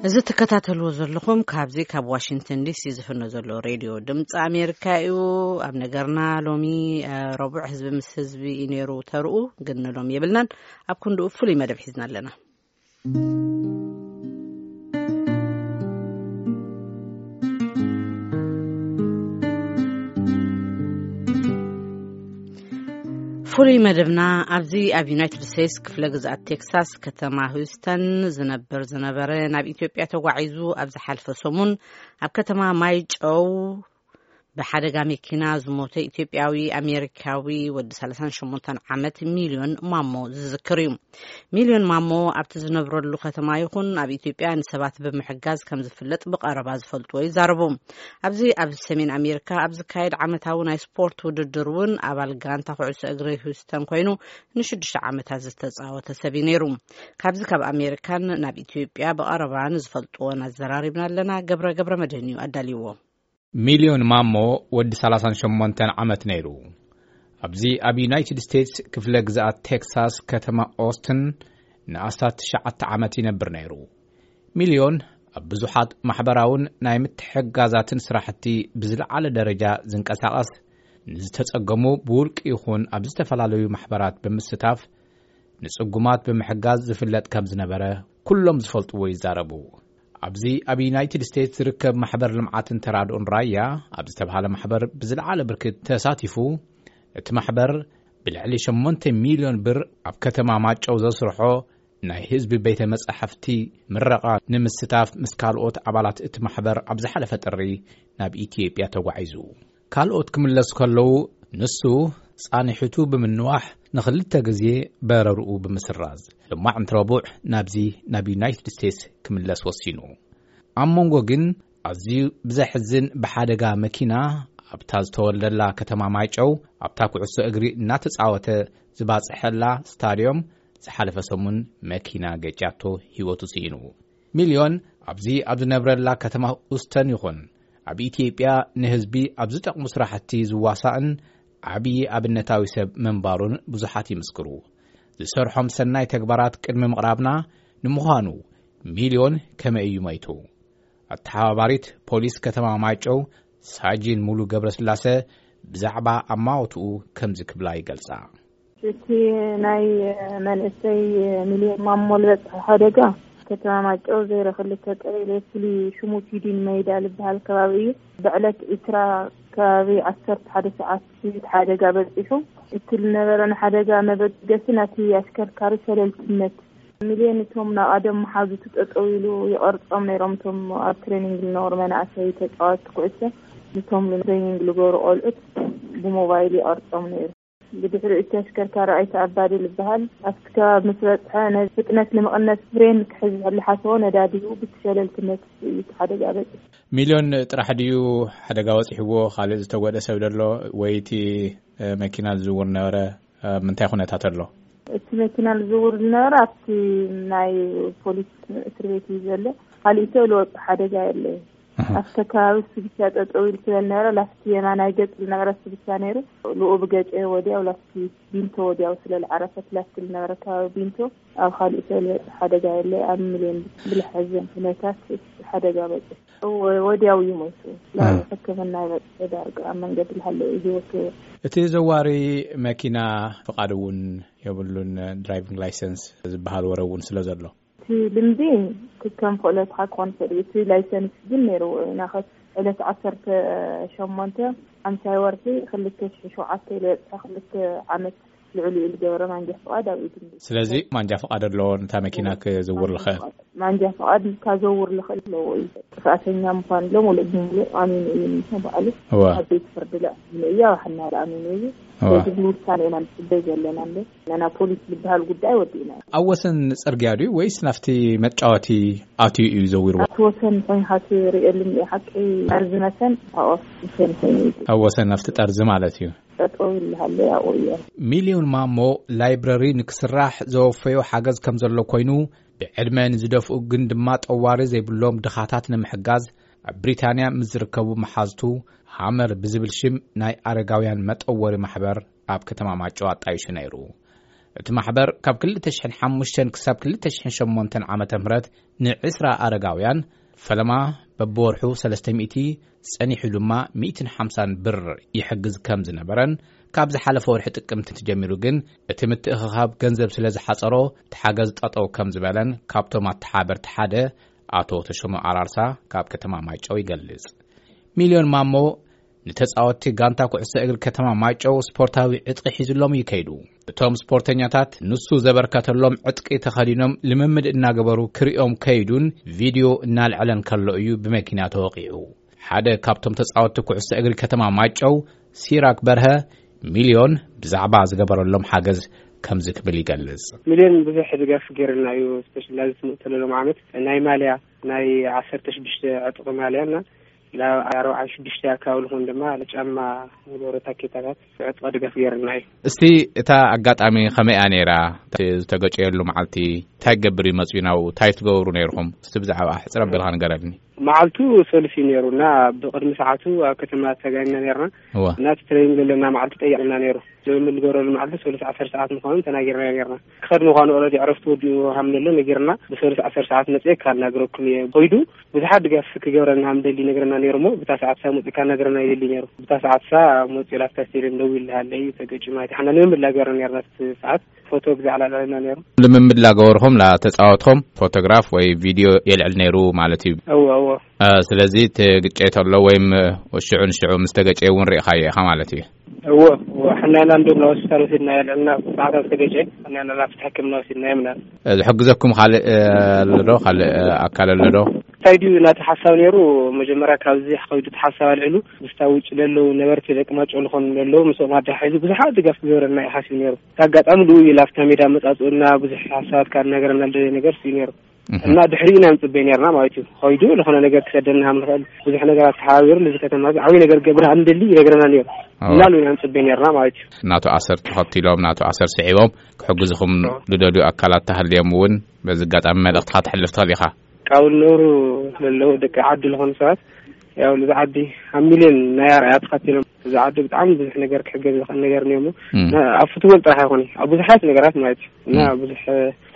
እዚ ትከታተልዎ ዘለኹም ካብዚ ካብ ዋሽንግተን ዲሲ ዝፍኖ ዘሎ ሬድዮ ድምፂ ኣሜሪካ እዩ። ኣብ ነገርና ሎሚ፣ እ፣ ረቡዕ ህዝቢ ምስ ህዝቢ እዩ ነይሩ ተርኡ፣ ግን ንሎሚ የብልናን። ኣብ ክንድኡ ፍሉይ መደብ ሒዝና ኣለና። ፍሉይ መደብና ኣብዚ ኣብ ዩናይትድ ስቴትስ ክፍለ ግዝኣት ቴክሳስ ከተማ ሂውስተን ዝነብር ዝነበረ ናብ ኢትዮጵያ ተጓዒዙ ኣብ ዝሓልፈ ሰሙን ኣብ ከተማ ማይጨው ብሓደጋ መኪና ዝሞተ ኢትዮጵያዊ ኣሜሪካዊ ወዲ ሰላሳን ሸሞንተን ዓመት ሚልዮን ማሞ ዝዝክር እዩ። ሚልዮን ማሞ ኣብቲ ዝነብረሉ ከተማ ይኹን ኣብ ኢትዮጵያ ንሰባት ብምሕጋዝ ከም ዝፍለጥ ብቐረባ ዝፈልጥዎ ይዛረቡ። ኣብዚ ኣብ ሰሜን ኣሜሪካ ኣብ ዝካየድ ዓመታዊ ናይ ስፖርት ውድድር እውን ኣባል ጋንታ ኩዕሶ እግሪ ሂውስተን ኮይኑ ንሽዱሽተ ዓመታት ዝተጻወተ ሰብ እዩ ነይሩ። ካብዚ ካብ ኣሜሪካን ናብ ኢትዮጵያ ብቐረባ ንዝፈልጥዎን ኣዘራሪብና ኣለና። ገብረ ገብረ መድህን እዩ ኣዳልይዎ። ሚልዮን ማሞ ወዲ ሰላሳን ሸሞንተን ዓመት ነይሩ። ኣብዚ ኣብ ዩናይትድ ስቴትስ ክፍለ ግዝኣት ቴክሳስ ከተማ ኦስትን ንኣስታት ትሽዓተ ዓመት ይነብር ነይሩ። ሚልዮን ኣብ ብዙሓት ማሕበራውን ናይ ምትሕግጋዛትን ስራሕቲ ብዝለዓለ ደረጃ ዝንቀሳቐስ፣ ንዝተጸገሙ ብውልቂ ይኹን ኣብ ዝተፈላለዩ ማሕበራት ብምስታፍ ንጽጉማት ብምሕጋዝ ዝፍለጥ ከም ዝነበረ ኩሎም ዝፈልጥዎ ይዛረቡ። ኣብዚ ኣብ ዩናይትድ ስቴትስ ዝርከብ ማሕበር ልምዓትን ተራድኦን ራያ ኣብ ዝተባሃለ ማሕበር ብዝለዓለ ብርክት ተሳቲፉ፣ እቲ ማሕበር ብልዕሊ ሸሞንተ ሚልዮን ብር ኣብ ከተማ ማጨው ዘስርሖ ናይ ህዝቢ ቤተ መጻሕፍቲ ምረቓ ንምስታፍ ምስ ካልኦት ኣባላት እቲ ማሕበር ኣብ ዝሓለፈ ጥሪ ናብ ኢትዮጵያ ተጓዒዙ። ካልኦት ክምለሱ ከለዉ፣ ንሱ ጻንሒቱ ብምንዋሕ ንኽልተ ግዜ በረርኡ ብምስራዝ፣ ሎማዕንቲ ረቡዕ ናብዚ ናብ ዩናይትድ ስቴትስ ክምለስ ወሲኑ። ኣብ መንጎ ግን ኣዝዩ ብዘሕዝን ብሓደጋ መኪና ኣብታ ዝተወልደላ ከተማ ማይጨው ኣብታ ኩዕሶ እግሪ እናተጻወተ ዝባጽሐላ ስታድዮም ዝሓለፈ ሰሙን መኪና ገጫቶ ህይወቱ ስኢኑ። ሚልዮን ኣብዚ ኣብ ዝነብረላ ከተማ ኡስተን ይኹን ኣብ ኢትዮጵያ ንህዝቢ ኣብ ዝጠቕሙ ስራሕቲ ዝዋሳእን ዓብዪ ኣብነታዊ ሰብ ምንባሩን ብዙሓት ይምስክሩ። ዝሰርሖም ሰናይ ተግባራት ቅድሚ ምቕራብና፣ ንምዃኑ ሚልዮን ከመይ እዩ መይቱ? ኣተሓባባሪት ፖሊስ ከተማ ማይጨው ሳጂን ሙሉ ገብረስላሰ ብዛዕባ ኣማውትኡ ከምዚ ክብላ ይገልጻ። እቲ ናይ መንእሰይ ሚልዮን ማሞ ዝበጽሐ ሓደጋ ከተማ ማይጨው ዜሮ ክልተ ቀበሌ ፍሉይ ሽሙ ፊዲን መይዳ ዝበሃል ከባቢ እዩ። ብዕለት ዒስራ ከባቢ ዓሰርተ ሓደ ሰዓት እዩ እቲ ሓደጋ በጺሑ። እቲ ዝነበረ ንሓደጋ መበገሲ ናቲ ኣሽከርካሪ ሸለልትነት። ሚልዮን እቶም ናብ ቀደም መሓዙቱ ጠጠው ኢሉ ይቐርጾም ነይሮም። እቶም ኣብ ትሬኒንግ ዝነበሩ መናእሰይ ተጻወትቲ ኩዕሶ፣ ንቶም ትሬኒንግ ዝገብሩ ቆልዑት ብሞባይል ይቐርጾም ነይሩ። ብድሕሪ እቲ ኣሽከርካሪ ኣይተ ኣባዲ ዝበሃል ኣብቲ ከባቢ ምስ በጽሐ፣ ነዚ ፍጥነት ንምቕነስ ፍሬን ክሕዝ ዝሓሰቦ ነዳዲ ሂቡ ብቲ ሸለልትነት እዩ እቲ ሓደጋ በጺሑ። ሚልዮን ጥራሕ ድዩ ሓደጋ በጺሕዎ? ካልእ ዝተጎድአ ሰብ ደሎ? ወይ እቲ፣ እ፣ መኪና ዝዝውር ነበረ? ኣብ ምንታይ ኩነታት ኣሎ? እቲ መኪና ዝዝውር ዝነበረ ኣብቲ ናይ ፖሊስ እስር ቤት እዩ ዘሎ። ካሊእ ሰብ ዝወጽእ ሓደጋ የለይ። ኣሃ። ኣብቲ ከባቢ እሱ ብቻ ጠጠው ኢሉ ስለ ዝነበረ፣ ላስቲ የማናይ ገጽ ዝነበረ እሱ ብቻ ነይሩ። ልኡ ብገጨ ወዲያው ላስቲ ቢንቶ ወዲያው ስለ ዝዓረፈት፣ ላስቲ ዝነበረ ከባቢ ቢንቶ፣ ኣብ ካሊእ ሰብ ዝወጽእ ሓደጋ የለይ። ኣብ ሚልዮን ብልሐዘን ኩነታት እቲ ሓደጋ በጽሑ። ወ-፣ ወዲያው እዩ ሞይቱ። ናብ ሕክምና ይበጽሑ ዳርጋ ኣብ መንገዲ ዝሃለወ እዩ ህይወቱ። እቲ ዘዋሪ መኪና ፍቓድ እውን የብሉን፣ ድራይቪንግ ላይሰንስ ዝበሃል ወረ እውን ስለ ዘሎ። እቲ ልምዲ ክከም ክእለትካ ክኾን ይኽእል እዩ። እቲ ላይሰንስ ግን ነይርዎ እዩ። ናኸ ዕለት ዓሰርተ ሸሞንተ ሓምሳይ ወርሒ ክልተ ሽሕ ሸውዓተ ኢሉ የብጽሐ፣ ክልተ ዓመት ልዕሊኡ ዝገበረ ማንጃ ፍቓድ ኣብ ኢዱ። ስለዚ ማንጃ ፍቓድ ኣለዎ ነታ መኪና ክዝውር ዝኽእል? ማንጃ ፍቓድ ካዘውር ዝኽእል ኣለዎ እዩ። ጥፍኣተኛ ምዃን ሎ ሙሉእ ብሙሉእ ኣሚኑ እዩ፣ ንሱ ባዕሉ እወ። ኣብ ቤት ፍርዲ ለ ኣሚኑ እዩ፣ ኣብ ሓና ለ ኣሚኑ እዩ። እወ። ስለዚ ብውሳኔ ኢና ንጽበይ ዘለና ኣሎ። ነና ፖሊስ ዝበሃል ጉዳይ ወዲእና። ኣብ ወሰን ጽርግያ ድዩ ወይስ ናብቲ መጫወቲ ኣትዩ እዩ ዘዊርዎ? ኣብቲ ወሰን ኮይንካ ትርእየሉ እኒኦ ሓቂ፣ ጠርዚ መሰን ኣብኡ ወሰን ኮይኑ እዩ። ኣብ ወሰን ናብቲ ጠርዚ ማለት እዩ። ጠጠው ይልሃለ ያው እየ። ሚልዮን ማሞ ላይብረሪ ንክስራሕ ዘወፈዮ ሓገዝ ከም ዘሎ ኮይኑ፣ ብዕድመ ንዝደፍኡ ግን ድማ ጠዋሪ ዘይብሎም ድኻታት ንምሕጋዝ ኣብ ብሪታንያ ምስ ዝርከቡ መሓዝቱ ሃመር ብዝብል ሽም ናይ ኣረጋውያን መጠወሪ ማሕበር ኣብ ከተማ ማጨው ኣጣይሹ ነይሩ። እቲ ማሕበር ካብ ክልተ ሽሕን ሓሙሽተን ክሳብ ክልተ ሽሕን ሸሞንተን ዓመተ ምህረት ንዕስራ ኣረጋውያን ፈለማ በብወርሑ ሰለስተ ሚእቲ፣ ጸኒሑ ድማ ሚእትን ሓምሳን ብር ይሕግዝ ከም ዝነበረን፣ ካብ ዝሓለፈ ወርሒ ጥቅምቲ ጀሚሩ ግን እቲ ምትእኽኻብ ገንዘብ ስለ ዝሓጸሮ፣ እቲ ሓገዝ ጠጠው ከም ዝበለን ካብቶም ኣተሓበርቲ ሓደ ኣቶ ተሾመ ኣራርሳ ካብ ከተማ ማይጨው ይገልጽ። ሚልዮን ማሞ ንተጻወትቲ ጋንታ ኩዕሶ እግሪ ከተማ ማይጨው ስፖርታዊ ዕጥቂ ሒዝሎም እዩ ከይዱ። እቶም ስፖርተኛታት ንሱ ዘበርከተሎም ዕጥቂ ተኸዲኖም ልምምድ እናገበሩ ክሪኦም ከይዱን ቪድዮ እናልዐለን ከሎ እዩ ብመኪና ተወቂዑ። ሓደ ካብቶም ተጻወትቲ ኩዕሶ እግሪ ከተማ ማይጨው ሲራክ በርሀ፣ ሚልዮን ብዛዕባ ዝገበረሎም ሓገዝ ከምዚ ክብል ይገልጽ። ሚልዮን ብዙሕ ድጋፍ ገይርልና እዩ። ስፔሻሊ ኣብዚ ትመፅእ ዘለሎም ዓመት ናይ ማልያ፣ ናይ ዓሰርተ ሽዱሽተ ዕጥቂ ማልያ እና ናብ ኣርባዓ ሽዱሽተ ኣካባቢ ዝኾን ድማ ጫማ፣ ንገብሮ ታኬታታት ዕጥቂ ድጋፍ ገይርልና እዩ። እስቲ እታ ኣጋጣሚ ከመይ እያ ነይራ? እቲ ዝተገጨየሉ መዓልቲ እንታይ ክገብር እዩ መፅኡ ናብኡ? እንታይ ትገብሩ ነይርኹም? እስቲ ብዛዕባ ሕፅር ኣቢልካ ንገረልኒ። መዓልቱ ሰሉስ እዩ ነይሩ እና ብቕድሚ ሰዓቱ ኣብ ከተማ ተጋኒና ነይርና። እወ። እና እቲ ትሬኒንግ ዘለና መዓልቲ ጠይቕና ነይሩ። ልምምድ ንገብረሉ መዓልቲ ሰሉስ ዓሰርተ ሰዓት ምዃኑ ተናጊርና ነይርና። ክኸድ ምዃኑ ኦልሬዲ ዕረፍቲ ወዲኡ ሃም ዘሎ ነጊርና፣ ብሰሉስ ዓሰርተ ሰዓት መፅየ ካናግረኩም እየ። ኮይዱ ብዙሓት ድጋፍ ክገብረና ሃም ደሊ ነግረና ነይሩ እሞ ብታ ሰዓት ሳ መፅእ ካናግረና ይደሊ ነይሩ። ብታ ሰዓት ሳ መፅኡ ላፍታ ስቴድየም ደው ይልሃለይ ተገጭ ማለት ሓና ልምምድ ላገርና ነይርና። እቲ ሰዓት ፎቶ ብዛዕባ ላዕልና ነይሩ። ልምምድ ላገበርኹም ላተፃወትኹም ፎቶግራፍ ወይ ቪድዮ የልዕል ነይሩ ማለት እዩ። እወ፣ እወ። እ፣ ስለዚ እቲ ግጨት ኣሎ ወይም፣ እ፣ ሽዑ ንሽዑ ምስ ተገጨ እውን ርኢኻዮ ኢኻ ማለት እዩ። እወ፣ እወ። ሕናና እንዶ ናብ ሆስፒታል ወሲድና የልዕልና ሰዓታት ተገጨ። ሕናና ናብ ሕክምና ወሲድና የምና። እ፣ ዝሕግዘኩም ካልእ፣ እ፣ ኣሎ ዶ? ካልእ፣ እ፣ ኣካል ኣሎ ዶ? እንታይ ድዩ ናቲ ሓሳብ ነይሩ? መጀመርያ ካብዚ ከይዱ እቲ ሓሳብ ኣልዕሉ ምስታ ውጭ ለለዉ ነበርቲ ደቂ ማጨው ዝኾኑ ለለዉ ምስኦም ኣዳሓሒዙ ብዙሓት ድጋፍ ክገብረልና እዩ ሓሲቡ ነይሩ። እቲ ኣጋጣሚ ልኡ እዩ ላፍታ ሜዳ መጻጽኡና ብዙሕ ሓሳባት ካብ ነገረና ልደለየ ነገር እዩ ነይሩ። እህ። እና ድሕሪኡ ኢና ንጽበይ ነይርና ማለት እዩ። ከይዱ ዝኾነ ነገር ክሰደና ከም ንኽእል ብዙሕ ነገር ኣተሓባቢሩ፣ ነዚ ከተማ እዚ ዓብዪ ነገር ክገብር ከም እንደሊ ይነግረና ነይሩ። እዋ። እና ልኡ ኢና ንጽበይ ነይርና ማለት እዩ። ናቱ ኣሰር ተኸቲሎም፣ ናቱ ኣሰር ስዒቦም ክሕግዝኹም ዝደልዩ ኣካላት ተሃልዮም እውን በዚ ኣጋጣሚ መልእኽትኻ ተሕልፍ ትኽእል ኢኻ። ካብኡ ዝነብሩ ዘለዉ ደቂ ዓዲ ዝኾኑ ሰባት፣ ያው ነዚ ዓዲ ኣብ ሚልዮን ናይ ኣርኣያ ተኸቲሎም፣ እዚ ዓዲ ብጣዕሚ ብዙሕ ነገር ክሕገዝ ዝኽእል ነገር እኒኦሞ። እም። ና-፣ ኣብ ፉትቦል ጥራሕ ኣይኮነን፣ ኣብ ብዙሓት ነገራት ማለት እዩ። እና እም። ብዙሕ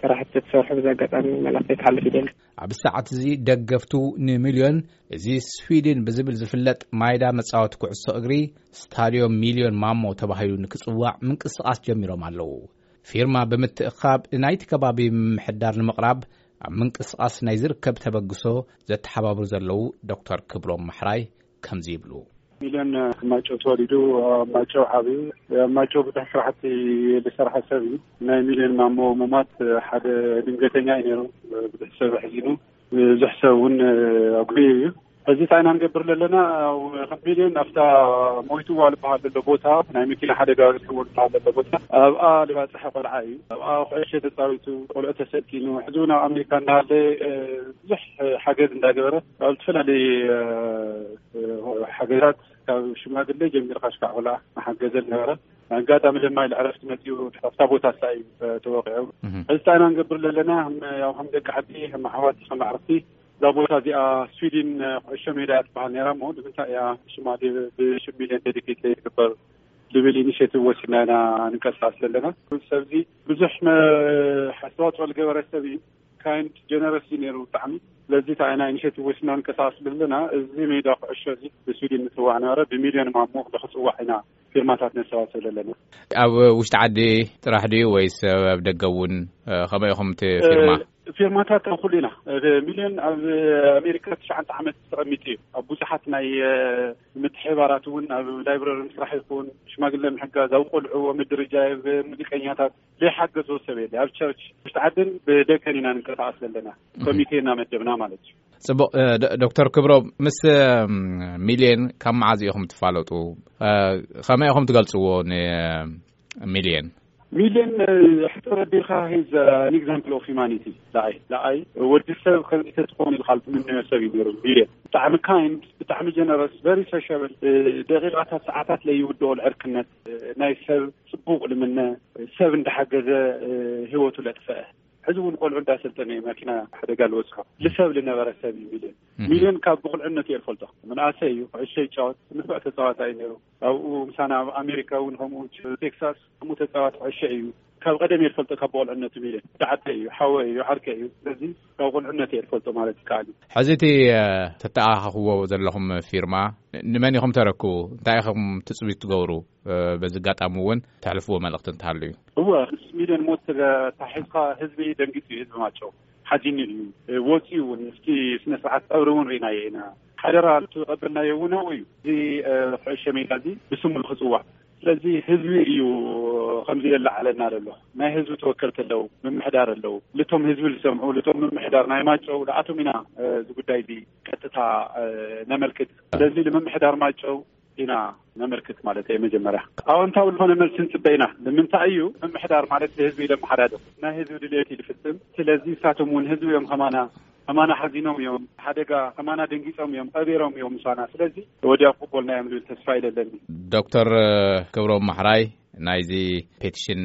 ስራሕቲ ተሰርሑ፣ በዚ ኣጋጣሚ መልእኽተይ ክሓልፍ ይደሊ። ኣብ ሰዓት እዚ ደገፍቱ ንሚልዮን፣ እዚ ስዊድን ብዝብል ዝፍለጥ ማይዳ መጻወቲ ኩዕሶ እግሪ፣ ስታድዮም ሚልዮን ማሞ ተባሂሉ ንክጽዋዕ ምንቅስቓስ ጀሚሮም ኣለዉ። ፊርማ ብምትእኻብ ንናይቲ ከባቢ ምምሕዳር ንምቕራብ ኣብ ምንቅስቓስ ናይ ዝርከብ ተበግሶ ዘተሓባብሩ ዘለዉ ዶክተር ክብሮም ማሕራይ ከምዚ ይብሉ። ሚልዮን ኣብ ማጨው ተወሊዱ፣ ኣብ ማጨው ዓብዩ፣ ኣብ ማጨው ብዙሕ ስራሕቲ ዝሰርሐ ሰብ እዩ። ናይ ሚልዮን ማሞ ምሟት ሓደ ድንገተኛ እዩ ነይሩ። ብዙሕ ሰብ ኣሕዚኑ፣ ብዙሕ ሰብ እውን ኣጉህዩ እዩ። ሕዚ እንታይ ኢና ንገብር ዘለና? ኣብ ከም ሚልዮን ኣብታ ሞይትዋ ዝበሃል ዘሎ ቦታ፣ ናይ መኪና ሓደጋ በፂሕዎ ዝበሃል ዘሎ ቦታ፣ ኣብኣ ዝባፅሐ ቆልዓ እዩ። ኣብኣ ኩዕሾ ተፃዊቱ፣ ቆልዑ ተሰኪኑ፣ ሕዚ እውን ኣብ ኣሜሪካ እናሃለ፣ እ፣ ብዙሕ ሓገዝ እንዳገበረ፣ ኣብ ዝተፈላለዩ፣ እ፣ እ፣ ሓገዛት ካብ ሽማግለ ጀሚርካ ሽካዕ ቆልዓ እናሓገዘ ዝነበረ፣ ኣጋጣሚ ድማ ኢሉ ዕረፍቲ መፂኡ ኣብታ ቦታ እሳ እዩ፣ እ፣ ተወቂዑ። እህ። ሕዚ እንታይ ኢና ንገብር ዘለና? ከም፣ ያው ከም ደቂ ዓዲ፣ ከም ኣሕዋት፣ ከም ኣዕርክቲ፣ እዛ ቦታ እዚኣ ስዊድን፣ እ፣ ኩዕሾ ሜዳ እያ ትበሃል ነይራ እሞ፣ ንምንታይ እያ ሽማ ብ-፣ ብሽም ሚልዮን ዴዲኬት ዘይትግበር ዝብል ኢኒሼቲቭ ወሲድና ኢና ንንቀሳቐስ ዘለና። እዚ ሰብ እዚ ብዙሕ መ-፣ ኣስተዋፅኦ ዝገበረ ሰብ እዩ። ካይንድ ጀነረስ እዩ ነይሩ ብጣዕሚ። ስለዚ እንታይ ኢና ኢኒሼቲቭ ወሲድና ንንቀሳቐስ ዘለና፣ እዚ ሜዳ ኩዕሾ እዚ ብስዊድን ምፅዋዕ ነበረ፣ ብሚልዮን ማሞ ንክፅዋዕ ኢና ፊርማታት ነሰባስብ ዘለና። ኣብ ውሽጢ ዓዲ ጥራሕ ድዩ ወይስ ኣብ ደገ እውን፣ እ፣ ከመይ ኢኹም እቲ ፊርማ? እ፣ ፊርማታት ኣብ ኩሉ ኢና። እ፣ ሚልዮን ኣብ ኣሜሪካ ትሽዓተ ዓመት ተቐሚጡ እዩ። ኣብ ብዙሓት ናይ፣ እ፣ ምትሕብባራት እውን፣ ኣብ ላይብረሪ ምስራሕ ይኹን፣ ሽማግለ ምሕጋዝ፣ ኣብ ቆልዑ፣ ኣብ ምድርጃ፣ ኣብ ሙዚቀኛታት ዘይሓገዞ ሰብ የለ። ኣብ ቸርች፣ ውሽጢ ዓድን ብደገን ኢና ንንቀሳቐስ ዘለና። እህ። ኮሚቴ እናመደብና ማለት እዩ። ጽቡቕ፣ እ፣ ዶ-፣ ዶክተር ክብሮም፣ ምስ፣ እም፣ ሚልዮን ካብ መዓዝ ኢኹም ትፋለጡ? እ፣ ከመይ ኢኹም ትገልጽዎ ንሚልዮን? ሚልዮን፣ እ፣ ሕቶ ረዲእካ፣ ሂዝ ኣን ኤግዛምፕል ኦፍ ሂማኒቲ። ንዓይ፣ ንዓይ ወዲ ሰብ ከምዚ ተትኾን ኢልካ ትምነዮ ሰብ እዩ ነይሩ ሚልዮን። ብጣዕሚ ካይንድ፣ ብጣዕሚ ጀነረስ፣ ቨሪ ሶሻብል፣ እ፣ ደቂቓታት፣ ሰዓታት ለይውድኦ ዕርክነት፣ እ፣ ናይ ሰብ ጽቡቕ ልምነ፣ ሰብ እንዳሓገዘ፣ እ፣ ህይወቱ ለጥፈአ። ሕዚ እውን ቆልዑ እንዳሰልጠነ እዩ ማኪና ሓደጋ ልበፅሖ። ልሰብ ልነበረ ሰብ እዩ ሚልዮን። እህ። ሚልዮን ካብ ብቁልዕነቱ እየ ዝፈልጦ። ምንኣሰ እዩ፣ ኩዕሾ ይጫወት፣ ንፉዕ ተፃዋታይ እዩ ነይሩ። ኣብኡ ምሳና ኣብ ኣሜሪካ እውን ከምኡ፣ ቴክሳስ ከምኡ ተፃዋቲ ኩዕሾ እዩ። ካብ ቀደም እየ ዝፈልጦ፣ ካብ ቆልዕነቱ ሚለ። ብዓተ እዩ፣ ሓወ እዩ፣ ዓርከ እዩ። ስለዚ ካብ ቆልዕነት እየ ዝፈልጦ ማለት ይከኣል እዩ። ሕዚ እቲ ተተኣኻኽዎ ዘለኹም ፊርማ ንመን ኢኹም ተረክቡ? እንታይ ኢኹም ትፅቢት ትገብሩ? በዚ ኣጋጣሚ እውን ተሕልፍዎ መልእኽቲ እንተሃሉ እዩ። እወ፣ ምስ ሚልዮን ሞት ተታሒዝካ ህዝቢ ደንጊፁ እዩ። ህዝቢ ማጨው ሓዚኑ እዩ። ወፂኡ እውን ምስቲ ስነ ስርዓት ቀብሪ እውን ርኢናዮ ኢና። ሓደራ እቱ ቀበልናዮ እውን ኣብኡ እዩ። እዚ ኩዕሾ ሜዳ እዚ ብስሙ ንክፅዋዕ። ስለዚ ህዝቢ እዩ ከምዚ የለዓለና ዘሎ። ናይ ህዝቢ ተወከልቲ ኣለዉ፣ ምምሕዳር ኣለዉ። ልቶም ህዝቢ ዝሰምዑ፣ ልቶም ምምሕዳር ናይ ማጨው ንኣቶም ኢና እዚ ጉዳይ እዚ ቀጥታ ነመልክት። ስለዚ ንምምሕዳር ማጨው ኢና ነመልክት ማለት እዩ። መጀመርያ ኣወንታዊ ዝኾነ መልሲ ንፅበ ኢና። ንምንታይ እዩ ምምሕዳር ማለት ንህዝቢ ኢለ መሓዳድር፣ ናይ ህዝቢ ድልየት እዩ ዝፍፅም። ስለዚ ንሳቶም እውን ህዝቢ እዮም ከማና፣ ከማና ሓዚኖም እዮም፣ ሓደጋ ከማና ደንጊፆም እዮም፣ ቀቢሮም እዮም ምሳና። ስለዚ ወዲያ ክቕበልና እዮም ዝብል ተስፋ ይደለኒ። ዶክተር ክብሮም ማሕራይ ናይዚ ፔቲሽን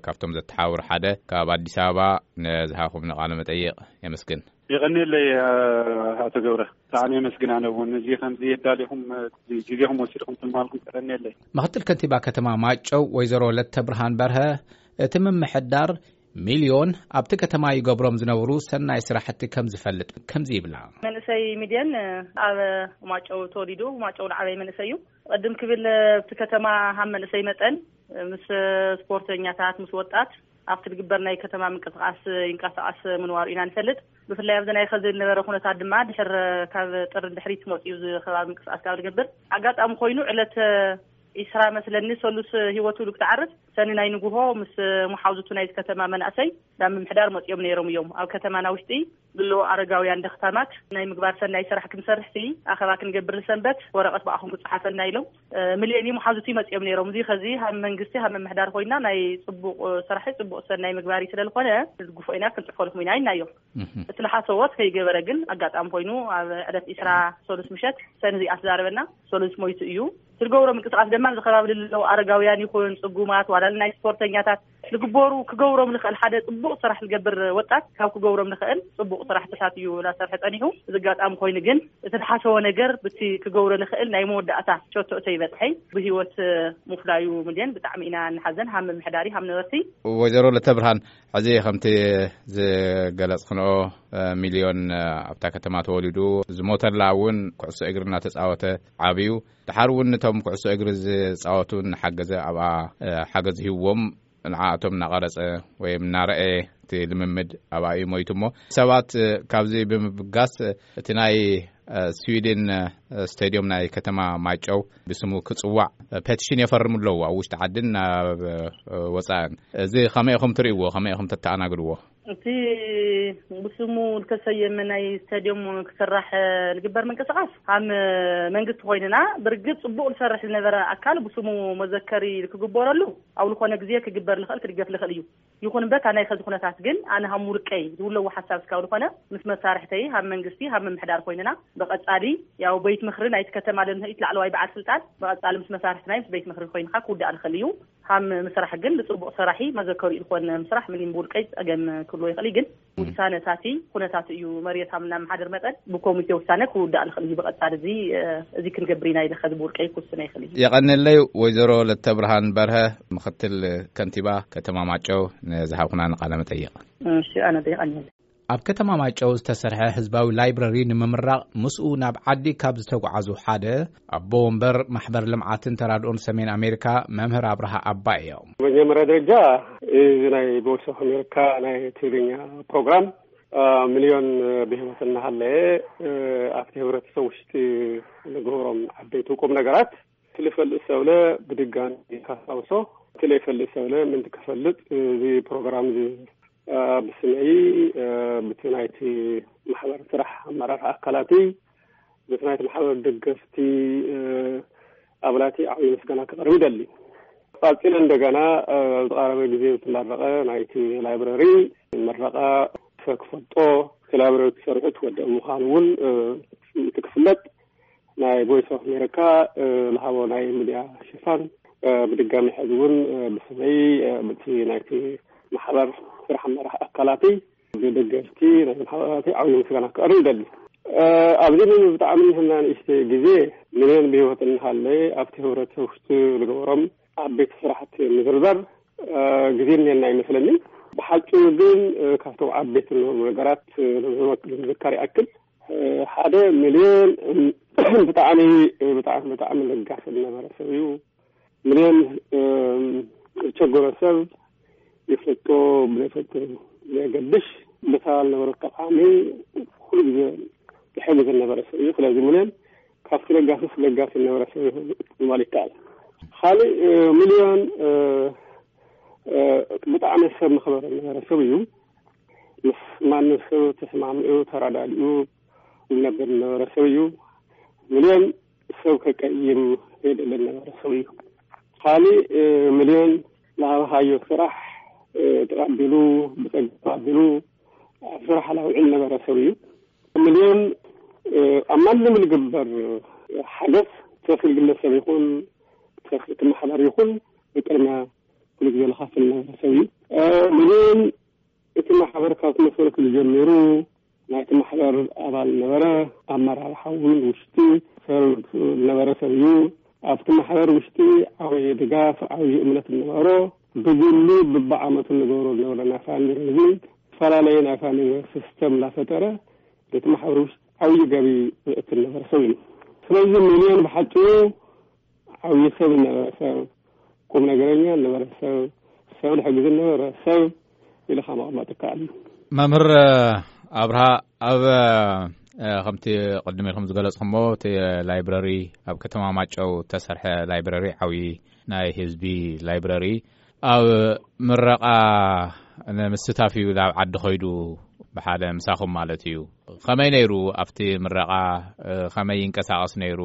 ካብቶም ዘተሓውር ሓደ ካብ ኣዲስ ኣበባ ንዝሃኹም ንቃለ መጠይቕ የመስግን። የቐንየለይ ኣቶ ገብረ፣ ብጣዕሚ የመስግን። ኣነ እውን እዚ ከምዚ የዳሊኹም ግዜኹም ወሲድኩም ትማልኩም የቐንየለይ። ምክትል ከንቲባ ከተማ ማጨው ወይዘሮ ለተብርሃን በርሀ እቲ ምምሕዳር ሚልዮን ኣብቲ ከተማ ይገብሮም ዝነበሩ ሰናይ ስራሕቲ ከም ዝፈልጥ ከምዚ ይብላ። መንእሰይ ሚልዮን ኣብ ማጨው ተወሊዱ፣ ማጨው ዝዓበየ መንእሰይ እዩ። ቅድም ክብል ኣብቲ ከተማ ሃም መንእሰይ መጠን ምስ ስፖርተኛታት፣ ምስ ወጣት ኣብቲ ዝግበር ናይ ከተማ ምንቅስቃስ ይንቀሳቀስ ምንዋሩ ኢና ንፈልጥ። ብፍላይ ኣብዚ ናይ ኸዚ ዝነበረ ኩነታት ድማ ድሕር ካብ ጥሪ ድሕሪት መፅኡ እዚ ከባቢ ምንቅስቃስ ካብ ዝገብር ኣጋጣሚ ኮይኑ ዕለት ኢስራ መስለኒ ሰሉስ ህይወቱ ክትዓርፍ ሰኒ ናይ ንጉሆ ምስ መሓውዝቱ ናይዚ ከተማ መናእሰይ ናብ ምምሕዳር መፅኦም ነይሮም እዮም። ኣብ ከተማና ውሽጢ ብሎ ኣረጋውያን ደኽታማት ናይ ምግባር ሰናይ ስራሕ ክንሰርሕ ሲ ኣኸባ ክንገብር ንሰንበት ወረቐት ብኣኹም ክፅሓፈልና ኢሎም ሚልዮን መሓውዝቱ ይመፅኦም ነይሮም። እዚ ኸዚ ሃብ መንግስቲ ሃብ ምምሕዳር ኮይና ናይ ፅቡቅ ስራሕ ፅቡቅ ሰናይ ምግባር እዩ ስለዝኾነ ዝግፎ ኢና ክንፅፈልኩም ኢና ኢልናዮ። እቲ ዝሓሰቦ ከይገበረ ግን ኣጋጣሚ ኮይኑ ኣብ ዕለት ኢስራ ሰሉስ ምሸት ሰኒ እዚኣ ተዛረበና። ሰሉስ ሞይቱ እዩ። ትገብሮ ምንቅስቃስ ድማ ኣብዚ ከባቢ ለለዉ ኣረጋውያን ይኹን ጽጉማት ዋላ ናይ ስፖርተኛታት ዝግበሩ ክገብሮም ንኽእል ሓደ ጽቡቕ ስራሕ ዝገብር ወጣት ካብ ክገብሮም ንኽእል ጽቡቕ ስራሕትታት እዩ እናሰርሐ ጸኒሑ። እዚ ኣጋጣሚ ኮይኑ ግን እቲ ዝሓሰቦ ነገር ብቲ ክገብሮ ንኽእል ናይ መወዳእታ ሸቶእቶ ይበጽሐይ ብህይወት ምፍላዩ ምልዮን ብጣዕሚ ኢና ንሓዘን። ሃም ምምሕዳሪ ሃም ነበርቲ። ወይዘሮ ለተብርሃን ሕዚ ከምቲ ዝገለጽክንኦ ሚልዮን ኣብታ ከተማ ተወሊዱ ዝሞተላ እውን ኩዕሶ እግሪ እናተጻወተ ዓብዩ። ድሓር እውን ነቶም ኩዕሶ እግሪ ዝጻወቱ እናሓገዘ ኣብኣ ሓገዝ ሂብዎም ንዓኣቶም እናቐረጸ ወይ እናረኣየ እቲ ልምምድ ኣብኣ እዩ ሞይቱ። እሞ ሰባት ካብዚ ብምብጋስ እቲ ናይ ስዊድን ስቴድዮም ናይ ከተማ ማይጨው ብስሙ ክጽዋዕ ፔቲሽን የፈርሙ ኣለዉ ኣብ ውሽጢ ዓድን ናብ ወጻእን። እዚ ከመይ ኢኹም ትርእይዎ? ከመይ ኢኹም ተተኣናግድዎ? እቲ ብስሙ ዝተሰየመ ናይ ስታድዮም ክስራሕ ዝግበር ምንቅስቃስ ሃም መንግስቲ ኮይንና ብርግጽ ጽቡቅ ዝሰርሕ ዝነበረ ኣካል ብስሙ መዘከሪ ክግበረሉ ኣብ ዝኾነ ግዜ ክግበር ልኽእል ክድገፍ ልኽእል እዩ። ይኹን እምበር እታ ናይ ኸዚ ኩነታት ግን ኣነ ሃም ውልቀይ ዝውለዎ ሓሳብ እስካብ ዝኾነ ምስ መሳርሕተይ ሃም መንግስቲ ሃም ምምሕዳር ኮይንና ብቐጻሊ ያው ቤት ምኽሪ ናይቲ ከተማ ለንህኢት ላዕለዋይ በዓል ስልጣን ብቐጻሊ ምስ መሳርሕትና ምስ ቤት ምኽሪ ኮይንካ ክውዳእ ልኽእል እዩ። ሃም ምስራሕ ግን ንጽቡቕ ሰራሒ መዘከሩ ኢልኮን ምስራሕ ምንም ብውልቀይ ጸገም ክብሎ ይኽእል ግን ውሳነታቲ ኩነታት እዩ መርየት ሃም እናመሓደር መጠን ብኮሚቴ ውሳነ ክውዳእ ልኽእል እዩ። ብቐጻሊ እዚ እዚ ክንገብር ኢና ኢለ ኸዚ ብውልቀይ ክውስነ ይኽእል እዩ። የቐንለይ ወይዘሮ ለተብርሃን በርሀ ምኽትል ከንቲባ ከተማ ማጨው ንዝሃብኩና ንቃለ መጠይቕ። እሺ ኣነ የቐንለይ። ኣብ ከተማ ማይጨው ዝተሰርሐ ህዝባዊ ላይብረሪ ንምምራቕ ምስኡ ናብ ዓዲ ካብ ዝተጓዓዙ ሓደ ኣቦ ወንበር ማሕበር ልምዓትን ተራድኦን ሰሜን ኣሜሪካ መምህር ኣብርሃ ኣባይ እዮም። መጀመሪያ ደረጃ እዚ ናይ ቮይስ ኦፍ ኣሜሪካ ናይ ትግርኛ ፕሮግራም ሚልዮን ብህይወት እናሃለየ ኣብቲ ህብረተሰብ ውሽጢ ንግበሮም ዓበይቲ ቁም ነገራት እቲ ልፈልጥ ሰብለ ብድጋሚ ካስታውሶ እቲ ለይፈልጥ ሰብለ ምንቲ ክፈልጥ እዚ ፕሮግራም እዚ ብስመይ ብቲ ናይቲ ማሕበር ስራሕ ኣመራርሓ ኣካላቲ ብቲ ናይቲ ማሕበር ደገፍቲ ኣባላቲ ዓብዪ ምስጋና ክቐርብ ይደሊ። ቀፂለ እንደገና ዝቐረበ ግዜ ዝተመረቐ ናይቲ ላይብረሪ መረቐ ክፈልጦ እቲ ላይብረሪ ክሰርሑ ትወደእ ምዃኑ እውን እቲ ክፍለጥ ናይ ቮይስ ኦፍ ኣሜሪካ ዝሃቦ ናይ ሚድያ ሽፋን ብድጋሚ ሕዚ እውን ብስመይ ብቲ ናይቲ ማሕበር ስራሕ ኣመራሕ ኣካላቲ ብደገፍቲ ናይ ማሕበራቲ ዓብዪ ምስጋና ክቐርብ ይደሊ። ኣብዚ ብጣዕሚ ንህና ንእሽተ ግዜ ምንን ብህይወት እንሃለ ኣብቲ ህብረተሰብ ውሽጢ ዝገበሮም ዓበይቲ ስራሕቲ ምዝርዛር ግዜ እኒአና ይመስለኒ። ብሓፂሩ ግን ካብቶም ዓበይቲ ዝነበሩ ነገራት ንዝመክ- ንዝዝከር ይኣክል፣ ሓደ ሚልዮን ብጣዕሚ ብጣዕሚ ብጣዕሚ ለጋስ ዝነበረ ሰብ እዩ። ሚልዮን ዝቸገሮ ሰብ ይፈጦ ብለፈጦ ዘገድሽ፣ ብታ ዝነበረ ጠቃሚ ኩሉ ግዜ ይሕግዝ ዝነበረ ሰብ እዩ። ስለዚ ሚልዮን ካብቲ ለጋስስ ለጋስ ዝነበረ ሰብ እዩ ማለት ይከኣል። ካልእ ሚልዮን ብጣዕሚ ሰብ መኽበረ ዝነበረ ሰብ እዩ። ምስ ማንም ሰብ ተስማሚዑ ተረዳዲኡ ዝነብር ዝነበረ ሰብ እዩ። ሚልዮን ሰብ ከቀይም የደለ ዝነበረ ሰብ እዩ። ካልእ ሚልዮን ዝሃብካዮ ስራሕ ተቐቢሉ ብጸጋ ተቐቢሉ ኣብ ስራሕ ላውዕል ነበረ ሰብ እዩ። ሚልዮን ኣብ ማንም ዝግበር ሓገዝ፣ ተኽል ግለሰብ ይኹን ተኽል ማሕበር ይኹን ብቅድሚያ ኩሉ ግዜ ዝኸፍል ነበረ ሰብ እዩ። ሚልዮን እቲ ማሕበር ካብ ተመስረቱ ጀሚሩ ናይቲ ማሕበር ኣባል ነበረ። ኣመራርሓ እውን ውሽጢ ሰብ ነበረ ሰብ እዩ። ኣብቲ ማሕበር ውሽጢ ዓብዪ ድጋፍ፣ ዓብዪ እምነት ነበሮ። ብግሉ ብብዓመቱ ንገብሮ ዝነበረ ናይ ፋንድሬዚንግ፣ ዝተፈላለዩ ናይ ፋንድሬዚንግ ሲስተም እናፈጠረ እቲ ማሕበር ውሽጢ ዓብዪ ገቢ ዘእቱ ነበረ ሰብ እዩ። ስለዚ ሚልዮን ብሓጭሩ ዓብዪ ሰብ ነበረ ሰብ፣ ቁም ነገረኛ ነበረ ሰብ፣ ሰብ ዝሕግዝ ነበረ ሰብ ኢልካ ምቕማጥ ይከኣል እዩ። መምህር ኣብርሃ፣ ኣብ ከምቲ ቅድም ኢልኩም ዝገለጽኩሞ እቲ ላይብረሪ ኣብ ከተማ ማጨው ተሰርሐ ላይብረሪ ዓብዪ ናይ ህዝቢ ላይብረሪ ኣብ ምረቓ ንምስታፍ እዩ ናብ ዓዲ ኸይዱ ብሓደ ምሳኹም ማለት እዩ። ከመይ ነይሩ ኣብቲ ምረቓ? ከመይ ይንቀሳቐስ ነይሩ?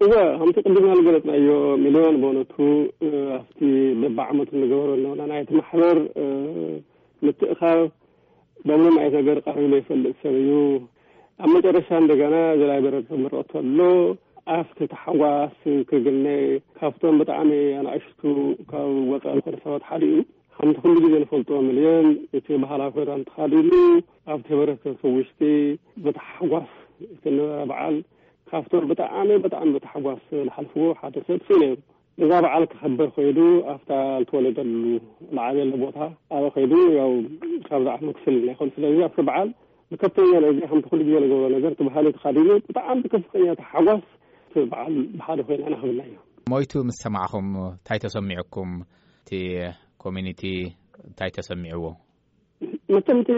እወ፣ ከምቲ ቅድም ዝገለጽናዮ ሚልዮን በእውነቱ ኣብቲ በብዓመቱ ንገበሮ ኣለና ናይቲ ማሕበር ምትእኻብ በምንም ዓይነት ነገር ቀሪቡ ዘይፈልጥ ሰብ እዩ። ኣብ መጨረሻ እንደገና እዚ ላይብረሪ ክምረቕ ከሎ ኣብቲ ታሕጓስ ክግነ ካብቶም ብጣዕሚ ኣናእሽቱ ካብ ወፃኢ ዝኾነ ሰባት ሓደ እዩ። ከምቲ ኩሉ ግዜ ንፈልጦ ሚልዮን እቲ ባህላዊ ክዳን ተኻዲኑ ኣብቲ ሕብረተሰብ ውሽጢ ብታሕጓስ እቲ ነበረ በዓል ካብቶም ብጣዕሚ ብጣዕሚ ብታሕጓስ ዝሓልፍዎ ሓደ ሰብ እሱ ነይሩ። እዛ በዓል ክኸበር ከይዱ ኣብታ ዝተወለደሉ ዝዓበየሉ ቦታ ኣበ ከይዱ ያው ካብዛ ዓመት ክፍል ናይ ኮን ስለዚ ኣብቲ በዓል ብከፍተኛ ደረጃ ከምቲ ኩሉ ግዜ ንገብሮ ነገር እቲ ባህሊ ተኻዲኑ ብጣዕሚ ብከፍተኛ ታሓጓስ እቲ በዓል ብሓደ ኮይና ነኽብላ እዩ። ሞይቱ ምስ ሰማዕኹም እንታይ ተሰሚዑኩም? እቲ ኮሚኒቲ እንታይ ተሰሚዕዎ? መቸም እቲ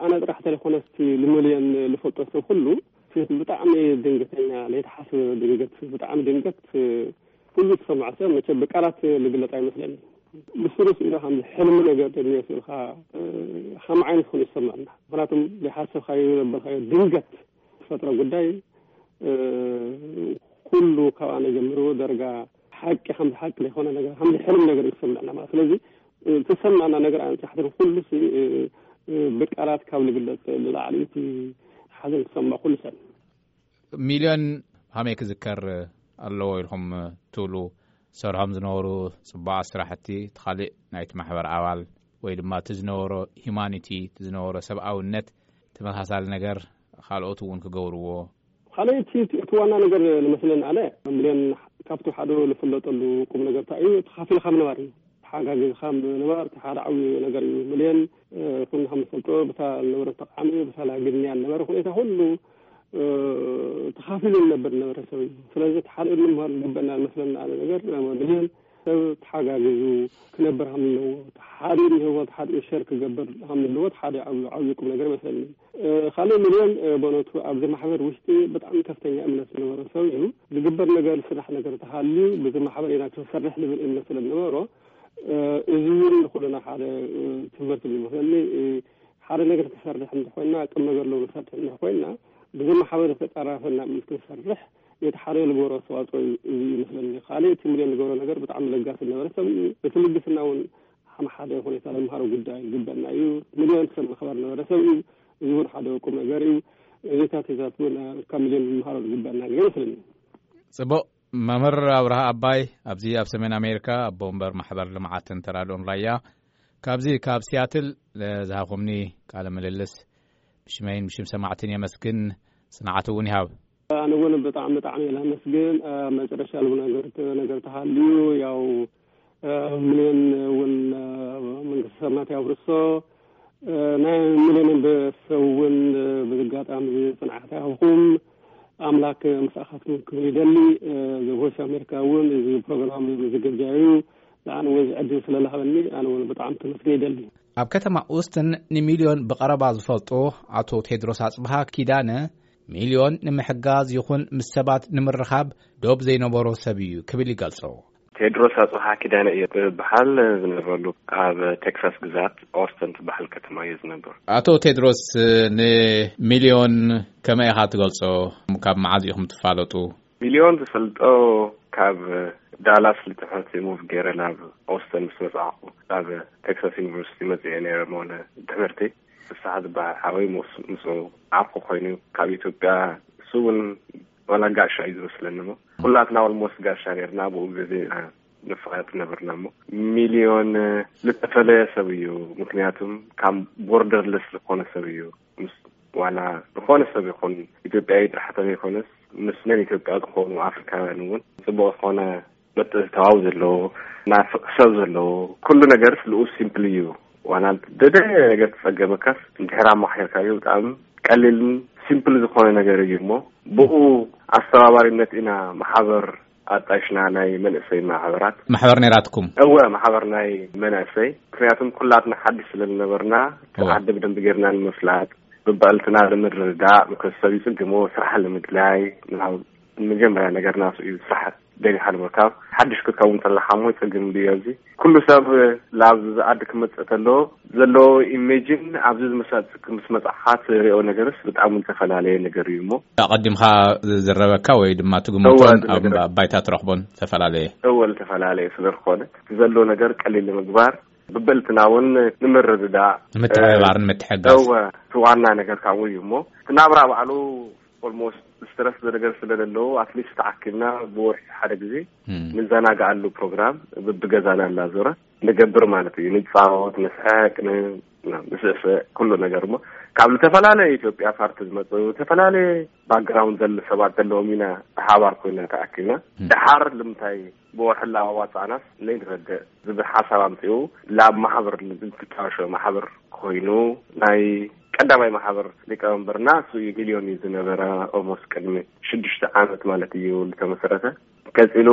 ኣነ ጥራሕ ተለይኮነስ እቲ ልመልዮን ልፈልጦ ሰብ ኩሉ ብጣዕሚ ድንገተኛ ለይተሓስበ ድንገት ብጣዕሚ ድንገት ኩሉ ዝሰምዖ ሰብ መቸም ብቃላት ልግለጽ ኣይመስለኒ። ብስሩስ ኢሉ ከም ሕልሚ ነገር ተድዮ ስልካ ከም ዓይነት ኮይኑ ይሰማዕና ምክንያቱም ዘይሓሰብካዮ ዘበልካዮ ድንገት ዝፈጥሮ ጉዳይ ኩሉ ካብ ኣነ ጀምሩ ደረጋ ሓቂ ከም ሓቂ ዘይኮነ ነገር ከም ሕልም ነገር ይሰማዕና ማለት ስለዚ ተሰማዕና ነገር ኣንጻሕትን ኩሉ ብቃላት ካብ ልግለጽ ልላዕሊ እቲ ሓዘን ዝሰምዖ ኩሉ ሰብ። ሚልዮን ሃመይ ክዝከር ኣለዎ ኢልኩም ትብሉ ሰርሖም ዝነበሩ ጽቡቓት ስራሕቲ እቲ ካልእ ናይቲ ማሕበር ኣባል ወይ ድማ እቲ ዝነበሮ ሂማኒቲ እቲ ዝነበሮ ሰብኣውነት ተመሳሳሊ ነገር ካልኦት እውን ክገብርዎ ካልኣይቲ እቲ ዋና ነገር ንመስለን ኣነ ሚልዮን ካብቲ ሓደ ዝፍለጠሉ ቁም ነገር እንታይ እዩ ተኻፊልካ ምንባር እዩ። ተሓጋጊዝካ ምንባር እቲ ሓደ ዓብዩ ነገር እዩ። ሚልዮን ኩሉ ከም ንፈልጦ ብታ ዝነበረ ተቃሚ ብታ ላግንያ ዝነበረ ሁኔታ ኩሉ ተኻፊሉ ዝነበር ዝነበረ ሰብ እዩ። ስለዚ እቲ ሓደ ንምሃር ዝግበና ዝመስለና ኣነ ነገር ሚልዮን ሰብ ተሓጋጊዙ ክነብር ከም ዘለዎ ሓደ ንህይወት ሓደ ሸር ክገብር ከም ዘለዎ ሓደ ዓብዩ ዓብዩ ቁም ነገር ይመስለኒ። ካልእ ሚልዮን በእውነቱ ኣብዚ ማሕበር ውሽጢ ብጣዕሚ ከፍተኛ እምነት ዝነበሮ ሰብ እዩ። ዝግበር ነገር ስራሕ ነገር ተሃልዩ ብዚ ማሕበር ኢና ክንሰርሕ ዝብል እምነት ስለ ዝነበሮ እዚ እውን ንኩልና ሓደ ትምህርቲ ዝመስለኒ ሓደ ነገር ክሰርሕ እንተኮይና ቅም ነገር ለው ንሰርሕ እንተኮይና ብዚ ማሕበር ዝተጠራፈና እምነት ክንሰርሕ ነቲ ሓደ ዝገበሮ ኣስተዋፅኦ እዩ ይመስለኒ። ካልእ እቲ ሚልዮን ዝገበሮ ነገር ብጣዕሚ ለጋስ ዝነበረ ሰብ እዩ። እቲ ልግስና እውን ከም ሓደ ሁኔታ ንምሃሮ ጉዳይ ዝግበና እዩ። ሚልዮን ሰብ መኽበር ነበረ ሰብ እዩ። እዚ እውን ሓደ ቁም ነገር እዩ። እዚታት ሒዛት እውን ካብ ሚልዮን ንምሃሮ ዝግበና ነገር ይመስለኒ። ጽቡቕ። መምህር ኣብርሃ ኣባይ ኣብዚ ኣብ ሰሜን ኣሜሪካ ኣቦ ወንበር ማሕበር ልምዓትን ተራድኦን ራያ ካብዚ ካብ ሲያትል ዝሃኹምኒ ቃለ ምልልስ ብሽመይን ብሽም ሰማዕትን የመስግን። ጽንዓት እውን ይሃብ። ኣነ እውን ብጣዕሚ ብጣዕሚ እየ ላመስግን። መጨረሻ ልቡ ነገር ነገር ተሃልዩ ያው ሚሊዮን እውን መንግስቲ ሰማያት ያውርሶ። ናይ ሚሊዮን ቤተሰብ እውን ብዝጋጣሚ ጽንዓት ያህብኩም። ኣምላክ ምሳኻትኩም ክብል ይደሊ። እዚ ቮይስ ኣሜሪካ እውን እዚ ፕሮግራም ዝግጃ እዩ። ንኣነ እውን እዚ ዕድል ስለላሃበኒ ኣነ እውን ብጣዕሚ ተመስገን ይደሊ። ኣብ ከተማ ኡስትን ንሚልዮን ብቐረባ ዝፈልጦ ኣቶ ቴድሮስ ኣጽብሃ ኪዳነ፣ ሚልዮን ንምሕጋዝ ይኹን ምስ ሰባት ንምርኻብ ዶብ ዘይነበሮ ሰብ እዩ ክብል ይገልጾ። ቴድሮስ ኣጽብሃ ኪዳነ እየ ዝበሃል። ዝነብረሉ ኣብ ቴክሳስ ግዛት ኦስተን ትበሃል ከተማ እየ ዝነብር። ኣቶ ቴድሮስ፣ ንሚልዮን ከመይ ኢኻ ትገልጾ? ካብ መዓዝ ኢኹም ትፋለጡ? ሚልዮን ዝፈልጦ ካብ ዳላስ ልትሕት ሙቭ ገይረ ናብ ኦስተን ምስ መጻእኩ፣ ናብ ቴክሳስ ዩኒቨርሲቲ መጽየ ነይረ ሞ ንትምህርቲ። ፍስሓ ዝበሃል ሓወይ ምስ-፣ ምስኡ ዓርኩ ኮይኑ ካብ ኢትዮጵያ፣ እሱ እውን ዋላ ጋሻ እዩ ዝመስለኒ ሞ ኩላትና ኦልሞስት ጋሻ ነርና። ብኡ ግዜ ኢና ንፋለጥ ነበርና ሞ ሚልዮን ዝተፈለየ ሰብ እዩ። ምክንያቱም ካብ ቦርደርለስ ዝኾነ ሰብ እዩ። ምስ ዋላ ዝኾነ ሰብ ይኹን ኢትዮጵያዊ ጥራሕ ተዘይኮነስ ምስ ነን ኢትዮጵያ ዝኾኑ ኣፍሪካውያን እውን ጽቡቕ ዝኾነ ምትእትታው ዘለዎ፣ ናፍቕ ሰብ ዘለዎ፣ ኩሉ ነገርስ ልኡ ሲምፕል እዩ። ዋላ ደደ ነገር ተጸገመካስ እንድሕር ኣማሓርካዮ ብጣዕሚ ቀሊልን ሲምፕል ዝኾነ ነገር እዩ እሞ ብኡ ኣስተባባሪነት ኢና ማሕበር ኣጣይሽና ናይ መንእሰይ ማሕበራት። ማሕበር ነይራትኩም? እወ፣ ማሕበር ናይ መናእሰይ። ምክንያቱም ኩላትና ሓድሽ ስለ ዝነበርና፣ እወ። ዓዲ ብደንቢ ጌርና ንምፍላጥ፣ ብብዕልትና ንምርድዳእ፣ ምክንያቱ ሰብ ይጽግሞ፣ ስራሕ ንምድላይ፣ ናብ መጀመርያ ነገር ናቱ እዩ፣ ስራሕ ደሊኻ ንምርካብ። ሓድሽ ክትከውን ተለኻ እሞ ይጽግም ድዮ እዚ? ኩሉ ሰብ ላብ ዝኣዲ ክመጽእ ተሎ ዘለዎ ኢሜጅን ኣብዚ ዝመሳጽ ምስ መጻእኻ ትሪኦ ነገርስ ብጣዕሚ ዝተፈላለየ ነገር እዩ እሞ። ኣቐዲምካ ዝዝረበካ ወይ ድማ ትግምቶን እወ፣ ኣብ ዝነገረካ። ባይታ ትረኽቦን ዝተፈላለየ። እወ፣ ዝተፈላለየ ስለ ዝኾነ እቲ ዘሎ ነገር ቀሊል ንምግባር ብብዕልትና እውን ንምርድዳእ፣ ንምትሕብባርን እ፣ ምትሕጋዝ። እወ፣ እቲ ዋና ነገር ካብኡ እዩ እሞ እቲ ናብራ ባዕሉ ኦልሞስት ስትረስ ነገር ስለ ዘለዎ ኣትሊስት ተኣኪብና ብወርሒ ሓደ ግዜ እም። ንዘናግዓሉ ፕሮግራም ብብገዛና እናዞረ ንገብር ማለት እዩ። ንጻወት፣ ንስሕቅ፣ ን-፣ ንስእስዕ ኩሉ ነገር እሞ ካብ ዝተፈላለየ ኢትዮጵያ ፓርቲ ዝመጹ ዝተፈላለየ ባክግራውንድ ዘለ ሰባት ዘለዎም ኢና ብሓባር ኮይና ተኣኪብና። እም። ደሓር ልምንታይ ብወርሒ ኣዋጻእናስ ለይንረድእ ዝብል ሓሳብ ኣምጺኡ ላብ ማሕበር ዝትጣሾ ማሕበር ኮይኑ ናይ ቀዳማይ ማሕበር ሊቀመንበርና እሱ እዩ። ሚልዮን እዩ ዝነበረ ኦልሞስት ቅድሚ ሽዱሽተ ዓመት ማለት እዩ ዝተመሰረተ። ቀጺሉ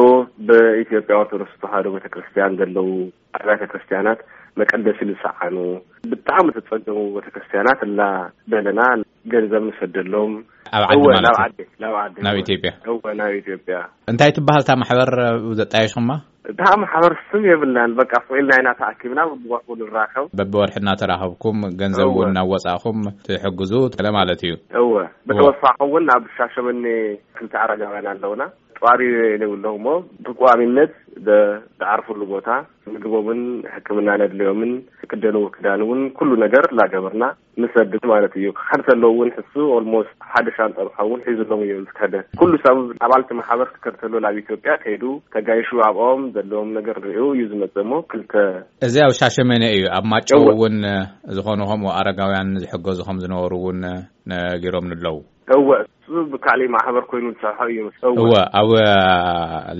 ብኢትዮጵያ ኦርቶዶክስ ተዋህዶ ቤተክርስትያን ዘለዉ ኣብያተ ክርስትያናት መቀደሲ ዝሰዓኑ ብጣዕሚ ተጸገሙ ቤተክርስትያናት እና ደለና ገንዘብ ንሰደሎም። ኣብ ዓዲ እወ፣ ማለት ናብ እዩ? ዓዲ፣ ናብ ዓዲ፣ ናብ እወ። ኢትዮጵያ? እወ፣ ናብ ኢትዮጵያ። እንታይ ትበሃል እታ ማሕበር፣ እ፣ ዘጣየሽኹማ? እታ ማሕበር ስም የብልናን፣ በቃ፣ ፍቕ ኢልና ኢና ተኣኪብና፣ በብወርሑ ንራኸብ። በብወርሒ እናተራኸብኩም፣ ገንዘብ እወ። እውን እናወጻእኹም ትሕግዙ፣ ገለ ማለት እዩ። እወ፣ እወ። ብተወሳኺ እውን ኣብ ሻሸመኔ ክልተ ኣረጋውያን ኣለውና። ጧሪ የብሎም እሞ፣ ብቋሚነት ደ-፣ ዝዓርፍሉ ቦታ፣ ምግቦምን ሕክምና ነድልዮምን፣ ክደንዎ ክዳን እውን ኩሉ ነገር እናገበርና ንሰድድ ማለት እዩ። ክኸድ ተለዉ እውን ሕሱ ኦልሞስት ሓደ ሻንጣ ዝኸውን ሒዙሎም እዮም ዝከደ። ኩሉ ሰብ ኣባልቲ ማሕበር ክከድ ተሎ ናብ ኢትዮጵያ ከይዱ ተጋይሹ ኣብኦም ዘለዎም ነገር ርእዩ እዩ ዝመጽእ እሞ ክልተ እዚ ኣብ ሻሸመኔ እዩ። ኣብ ማጨው እወ። እውን ዝኾኑ ከምኡ ኣረጋውያን ዝሕገዙ ከም ዝነበሩ እውን ነጊሮም ኣለዉ። እወ፣ እሱ ብካሊእ ማሕበር ኮይኑ ዝሰርሖ እዩ። እወ። እወ፣ ኣብ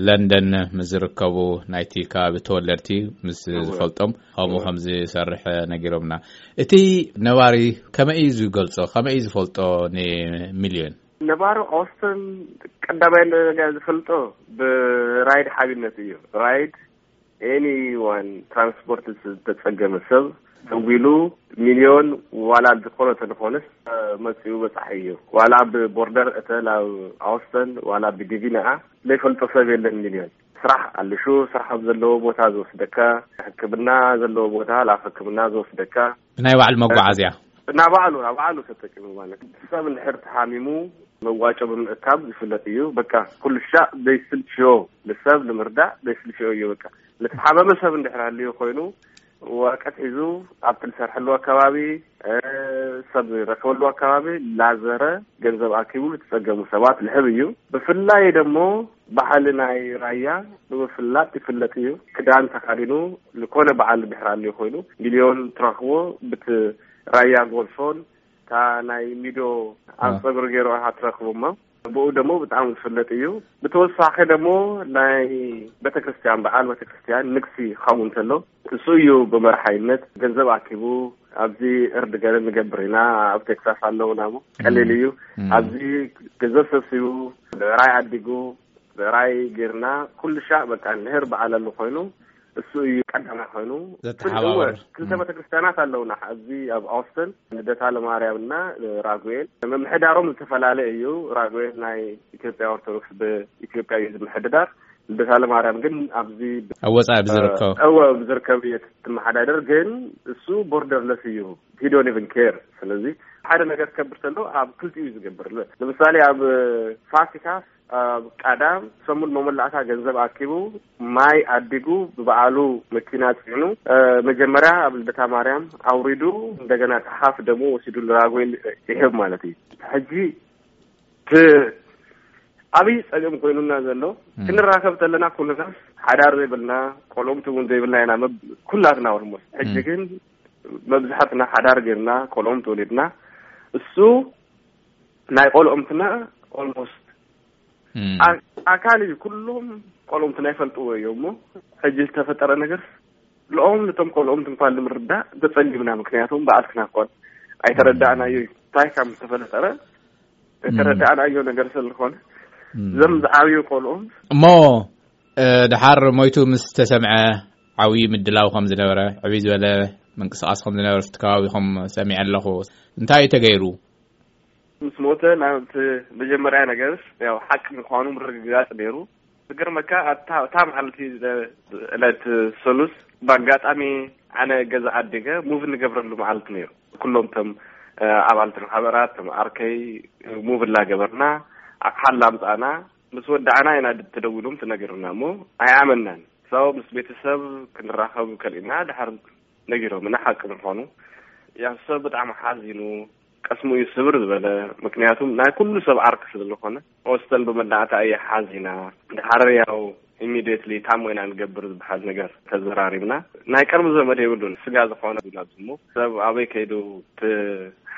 ለንደን ምስ ዝርከቡ ናይቲ ከባቢ ተወለድቲ ምስ እወ። ዝፈልጦም ከምኡ እወ። ከም ዝሰርሕ ነጊሮምና። እቲ ነባሪ ከመይ እዩ ዝገልጾ? ከመይ እዩ ዝፈልጦ ንሚልዮን? ነባሪ ኦስተን ቀዳማይ ነገር ዝፈልጦ ብራይድ ሓቢነት እዩ። ራይድ ኤኒ ዋን ትራንስፖርት ዝተጸገመ ሰብ ደዊሉ ሚልዮን ዋላ ዝኾነ ተለፎንስ መጺኡ በጻሒ እዩ። ዋላ ብቦርደር እተ ናብ ኣውስተን ዋላ ብዲቪ ነኣ ዘይፈልጦ ሰብ የለን ሚልዮን። ስራሕ ኣልሹ፣ ስራሕ ኣብ ዘለዎ ቦታ ዝወስደካ፣ ሕክምና ዘለዎ ቦታ ናብ ሕክምና ዝወስደካ። ብናይ ባዕሉ መጓዓዝያ? ናብ ባዕሉ፣ ናብ ባዕሉ ተጠቂሙ ማለት። ሰብ እንድሕር ተሓሚሙ መዋጮ ብምእካብ ዝፍለጥ እዩ። በቃ ኩሉ ሻዕ ዘይስልችዮ፣ ንሰብ ንምርዳእ ዘይስልችዮ እዩ። በቃ ንተሓመመ ሰብ እንድሕር ሃልዩ ኮይኑ ወረቀት ሒዙ ኣብቲ ዝሰርሐሉ ኣከባቢ፣ እ፣ ሰብ ዝረከበሉ ኣከባቢ ላዘረ ገንዘብ ኣኪቡ ዝተጸገሙ ሰባት ልሕብ እዩ። ብፍላይ ደሞ ባህሊ ናይ ራያ ብምፍላጥ ይፍለጥ እዩ። ክዳን ተኻዲኑ ዝኾነ በዓል እንድሕር ሃልዩ ኮይኑ ሚልዮን ትረኽቦ ብቲ ራያ ጎልፎን እታ ናይ ሚዶ ኣብ አ። ጸጉሪ ገይሩ ኢኻ ትረኽቦ እሞ ብኡ ደሞ ብጣዕሚ ዝፍለጥ እዩ። ብተወሳኺ ደሞ ናይ ቤተክርስትያን፣ በዓል ቤተክርስትያን ንግሲ ክኸውን እንተሎ፣ እሱ እዩ ብመርሓይነት ገንዘብ ኣኪቡ ኣብዚ እርድ ገለ ንገብር ኢና፣ ኣብ ቴክሳስ ኣለውና እሞ ቀሊል እዩ። ኣብዚ ገንዘብ ሰብሲቡ፣ ራይ ኣዲጉ፣ ራይ ጌርና፣ ኩሉ ሻዕ በቃ ንህር በዓል ኣሎ ኮይኑ፣ እሱ እዩ ቀዳማይ ኮይኑ። ዘተሓባብር። እወ፣ ክልተ ቤተክርስትያናት ኣለውና ኣብዚ ኣብ ኦስተን፣ ልደታ ለማርያም እና ራጉኤል። ምምሕዳሮም ዝተፈላለየ እዩ። ራጉኤል ናይ ኢትዮጵያ ኦርቶዶክስ ብኢትዮጵያ እዩ ዝምሕድዳር። ልደታ ለማርያም ግን ኣብዚ ብ-፣ ኣብ ወጻኢ ብዝርከብ። እወ፣ ብዝርከብ እየ ትመሓዳደር፣ ግን እሱ ቦርደርለስ እዩ። He don't even care። ስለዚ ሓደ ነገር ክገብር ከሎ ኣብ ክልቲኡ እዩ ዝገብር። ንምሳሌ ኣብ ፋሲካ ኣብ ቀዳም ሰሙን መመላእታ ገንዘብ ኣኪቡ፣ ማይ ኣዲጉ፣ ብበዓሉ መኪና ጽዕኑ፣ እ፣ መጀመርያ ኣብ ልደታ ማርያም ኣውሪዱ፣ እንደገና ተሓፍ ደሞ ወሲዱ ንራጉኤል ይህብ ማለት እዩ። ሕጂ እቲ ዓብዪ ጸገም ኮይኑና ዘሎ፣ እም። ክንራኸብ ተለና ኩልና ሓዳር ዘይብልና፣ ቆልዑምቲ እውን ዘይብልና ኢና፣ መብ-፣ ኩላትና ኦልሞስት። ሕጂ እም። ግን መብዛሕትና ሓዳር ጌርና፣ ቆልዑምቲ ወሊድና፣ እሱ ናይ ቆልዑምትና ኦልሞስት እም። ኣ-፣ ኣካል እዩ። ኩሎም ቆልዑምትና ይፈልጥዎ እዮም እሞ፣ ሕጂ ዝተፈጠረ ነገር ልኦም ነቶም ቆልዑምቲ እንኳን ንምርዳእ ተጸጊምና። ምክንያቱም በዓልትና እንኳን ኣይተረዳእናዮ እዩ። እንታይ ከም ዝተፈጠረ እም። ተረዳእናዮ ነገር ስለዝኾነ፣ እም። እዞም ዝዓብዩ ቆልዑ እሞ፣ እ፣ ድሓር ሞይቱ ምስ ተሰምዐ ዓብዪ ምድላው ከም ዝነበረ፣ ዕብይ ዝበለ ምንቅስቃስ ከም ዝነበረ ኣብቲ ከባቢኹም ሰሚዐ ኣለኹ። እንታይ እዩ ተገይሩ? ምስ ሞተ ናብቲ መጀመርያ ነገርስ ያው ሓቂ ምዃኑ ምርግጋጽ ነይሩ። ዝገርመካ ኣብታ፣ እታ መዓልቲ ዕለት ሰሉስ ብኣጋጣሚ ኣነ ገዛ ኣዲገ ሙቭ እንገብረሉ መዓልቲ ነይሩ። ኩሎም እቶም፣ እ፣ ኣባልቲ ማሕበራት፣ እቶም ኣርከይ ሙቭ እናገበርና ኣቕሓ እናምጻእና ምስ ወዳዕና ኢና ድ-፣ ተደዊሎም ትነግርና እሞ ኣይኣመናን። ሰው ምስ ቤተሰብ ክንራኸብ ከሊእና ድሓር ነጊሮምና ሓቂ ምዃኑ። ያው ሰብ ብጣዕሚ ሓዚኑ፣ ቀስሙ እዩ ስብር ዝበለ። ምክንያቱም ናይ ኩሉ ሰብ ዓርኪ ስለ ዝኾነ፣ ኦስተን ብመዳእታ እየ ሓዚና። ድሓር ያው ኢሚዲየትሊ ታሞ ኢና ንገብር ዝበሃል ነገር ተዘራሪብና። ናይ ቀርቢ ዘመድ የብሉን፣ ስጋ ዝኾነ ኣብዚ እሞ ሰብ ኣበይ ከይዱ እቲ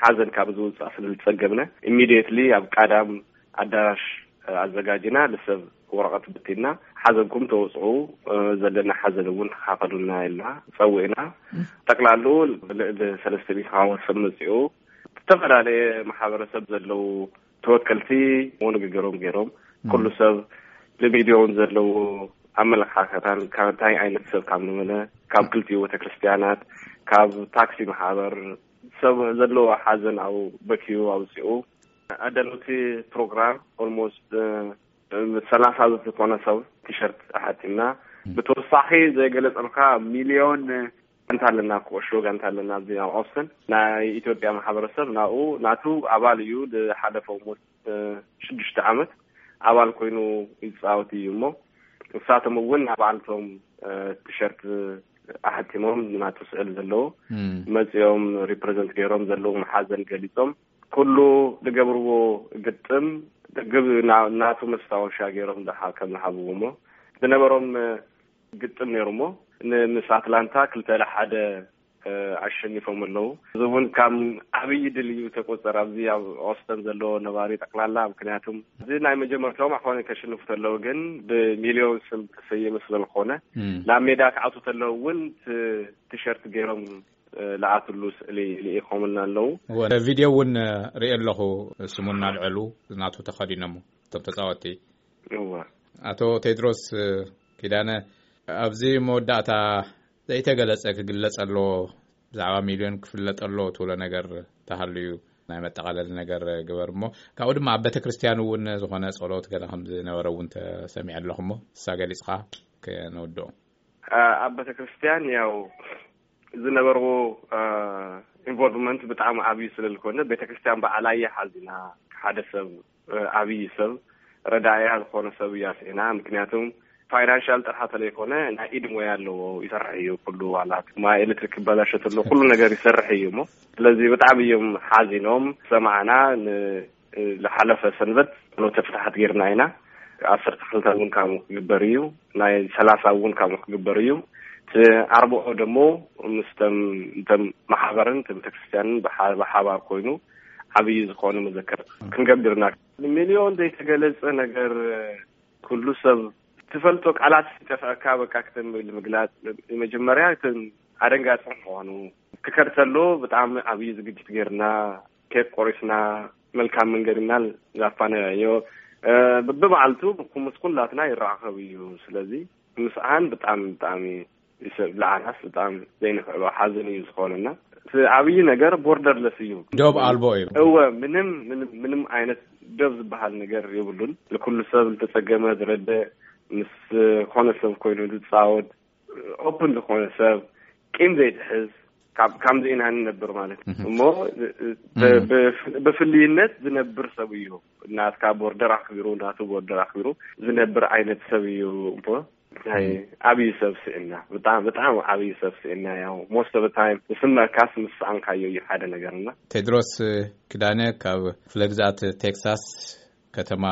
ሓዘን ካብ ዝውጻእ ስለ ዝጸገብነ፣ ኢሚዲየትሊ ኣብ ቀዳም ኣዳራሽ ኣዘጋጅና፣ ንሰብ ወረቐት ብቲና፣ ሓዘንኩም ተወጽዑ፣ እ፣ ዘለና ሓዘን እውን ተኻፈሉና ኢልና ጸዊዕና። እም። ጠቅላሉ ልዕሊ ሰለስተ ሚእቲ ዝኸውን ሰብ መጺኡ። ዝተፈላለየ ማሕበረሰብ ዘለዉ ተወከልቲ ንግግሮም ገይሮም፣ እም። ኩሉ ሰብ ንሚድያውን ዘለዎ ኣመለኻኸታን ካብ እንታይ ዓይነት ሰብ ካብ ንመነ፣ ካብ ክልቲኡ ቤተክርስትያናት፣ ካብ ታክሲ ማሕበር፣ ሰብ ዘለዎ ሓዘን ኣብ በኪዩ ኣውጺኡ። ኣዳለውቲ ፕሮግራም ኦልሞስት፣ እ፣ ሰላሳ ዝኾነ ሰብ ቲሸርት ኣሓቲምና። እም። ብተወሳኺ ዘይገለጸልካ ሚልዮን ጋንታ ኣለና፣ ኩዕሾ ጋንታ ኣለና ኣብዚ ኣብ ኦስተን። ናይ ኢትዮጵያ ማሕበረሰብ ናብኡ ናቱ ኣባል እዩ። ዝሓለፈ ሞት፣ እ፣ ሽዱሽተ ዓመት ኣባል ኮይኑ ይጻወት እዩ እሞ፣ ንሳቶም እውን ኣባልቶም፣ እ፣ ቲሸርት ኣሕቲሞም ናቱ ስዕል ዘለዎ እም። መጺኦም ሪፕሬዘንት ገይሮም ዘለዎም ሓዘን ገሊጾም፣ ኩሉ ዝገብርዎ ግጥም ግብ ና-፣ ናቱ መስታወሻ ገይሮም ዝሓ-፣ ከም ዝሃብዎ እሞ፣ ዝነበሮም፣ እ፣ ግጥም ነይሩ እሞ፣ ን-፣ ምስ ኣትላንታ ክልተ ለ ሓደ፣ እ፣ ኣሸኒፎም ኣለዉ። እዚ እውን ካብ ዓብዪ ድል እዩ ተቆጸር ኣብዚ ኣብ ኦስተን ዘሎ ነባሪ ጠቅላላ። ምክንያቱም እዚ ናይ መጀመርታኦም ኣኾነ ከሽንፉ ተለዉ፣ ግን ብሚልዮን ስም ተሰየመ ስለ ዝኾነ፣ እም። ናብ ሜዳ ክኣቱ ተለዉ እውን ቲ-፣ ቲሸርት ገይሮም፣ እ፣ ለኣትሉ ስእሊ ልኢኾምልና ኣለዉ። እወ፣ ቪድዮ እውን፣ እ፣ ርእየ ኣለኹ። ስሙ እናልዐሉ ናቱ ተኸዲኖም እቶም ተጻወትቲ። እወ። ኣቶ ቴድሮስ፣ እ፣ ኪዳነ፣ ኣብዚ መወዳእታ ዘይተገለጸ ክግለጽ ኣለዎ፣ ብዛዕባ ሚልዮን ክፍለጥ ኣለዎ ትብሎ ነገር ተሃልዩ ናይ መጠቓለሊ ነገር ግበር እሞ፣ ካብኡ ድማ ኣብ ቤተክርስትያን እውን ዝኾነ ጸሎት ገለ ከም ዝነበረ እውን ተሰሚዐ ኣለኹ እሞ፣ እሳ ገሊጽካ ከነውድኦ። አ-፣ ኣብ ቤተክርስትያን ያው ዝነበርዎ፣ አ፣ ኢንቮልቭመንት ብጣዕሚ ዓብዩ ስለ ዝኾነ፣ ቤተክርስትያን በዓላ እየ ሓዚና። ሓደ ሰብ፣ አ፣ ዓብዪ ሰብ፣ ረዳእያ ዝኾነ ሰብ እያ ስዒና። ምክንያቱም ፋይናንሻል ጥራሕ ተለይኮነ፣ ናይ ኢድ ሞያ ኣለዎ፣ ይሰርሕ እዩ። ኩሉ ዋላ ማይ ኤሌክትሪክ ክበላሸ ተሎ፣ ኩሉ ነገር ይሰርሕ እዩ እሞ፣ ስለዚ ብጣዕሚ እዮም ሓዚኖም። ሰማዕና ን-፣ ዝሓለፈ ሰንበት ፍኖተ ፍትሓት ጌርና ኢና። ዓሰርተ ክልተ እውን ከምኡ ክግበር እዩ፣ ናይ ሰላሳ እውን ከምኡ ክግበር እዩ። እቲ ኣርብዖ ደሞ ምስቶም፣ እንቶም ማሕበርን እቲ ቤተክርስትያንን ብሓ-፣ ብሓባር ኮይኑ ዓብዪ ዝኾነ መዘከር ክንገብርና። ሚልዮን ዘይተገለጸ ነገር፣ ኩሉ ሰብ ትፈልጦ ቃላት ይጠፍኣካ። በቃ ክተም ኢሉ ምግላጽ፣ መጀመርያ ክተም ኣደንጋጺ ምዃኑ ክከድ ተሎ ብጣዕሚ ዓብዪ ዝግጅት ጌርና፣ ኬክ ቆሪስና፣ መልካም መንገድ እና ዛፋነዮ ብብዓልቱ ምስ ኩላትና ይራኸብ እዩ። ስለዚ ምስኣን ብጣዕሚ ብጣዕሚ ይሰብ ለዓናስ ብጣዕሚ ዘይንክዕሎ ሓዘን እዩ ዝኾነና። እቲ ዓብዪ ነገር ቦርደርለስ እዩ። ዶብ ኣልቦ እዩ። እወ፣ ምንም ምንም ምንም ዓይነት ደብ ዝበሃል ነገር የብሉን። ንኩሉ ሰብ ዝተጸገመ ዝረደ፣ ምስ ኮነ ሰብ ኮይኑ ዝጻወት፣ ኦፕን ዝኾነ ሰብ፣ ቂም ዘይትሕዝ፣ ካብ ከምዚ ኢና ንነብር ማለት እዩ። እሞ ብ- ብ- ብፍልይነት ዝነብር ሰብ እዩ። ናትካ ቦርደር ኣኽቢሩ፣ ናቱ ቦርደር ኣኽቢሩ ዝነብር ዓይነት ሰብ እዩ። እሞ ናይ ዓብዪ ሰብ ስእና፣ ብጣዕሚ ብጣዕሚ ዓብዪ ሰብ ስእና። ያው most of the time ዝስመዕካስ ምስ ሰኣንካዮ እዩ ሓደ ነገር። እና ቴድሮስ ክዳነ ካብ ክፍለ ግዝኣት ቴክሳስ ከተማ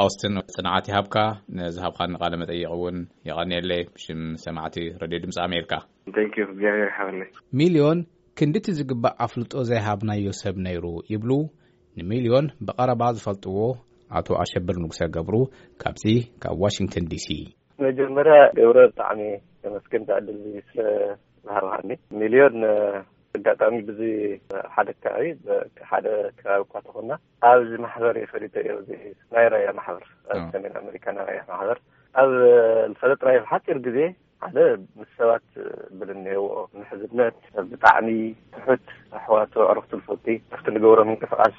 ኣውስትን ጽንዓት ይሃብካ። ንዝሃብካኒ ቃለ መጠይቕ እውን የቐንየለይ ብሽም ሰማዕቲ ሬድዮ ድምፂ ኣሜሪካ። Thank you፣ እግዚኣብሔር ይሓበለይ። ሚልዮን ክንድቲ ዝግባእ ኣፍልጦ ዘይሃብናዮ ሰብ ነይሩ ይብሉ ንሚልዮን ብቐረባ ዝፈልጥዎ ኣቶ ኣሸብር ንጉሰ ገብሩ ካብዚ ካብ ዋሽንግተን ዲሲ። መጀመርያ ገብረ ብጣዕሚ ተመስገን ዕድል ስለ ዝሃብሃኒ። ሚልዮን ኣጋጣሚ ብዚ ሓደ ከባቢ ሓደ ከባቢ እኳ ተኾና ኣብዚ ማሕበር የፈሊጠ እዮ። እዚ ናይ ራያ ማሕበር ኣብ ሰሜን ኣሜሪካ ናይ ራያ ማሕበር ኣብ ዝፈለጥናዮ ሓፂር ግዜ ሓደ ምስ ሰባት ብልኔዎ ምሕዝነት ብጣዕሚ ትሑት ኣሕዋቱ ኣዕሩኽቱ ዝፈቲ ኣብቲ ንገብሮ ምንቅስቃስ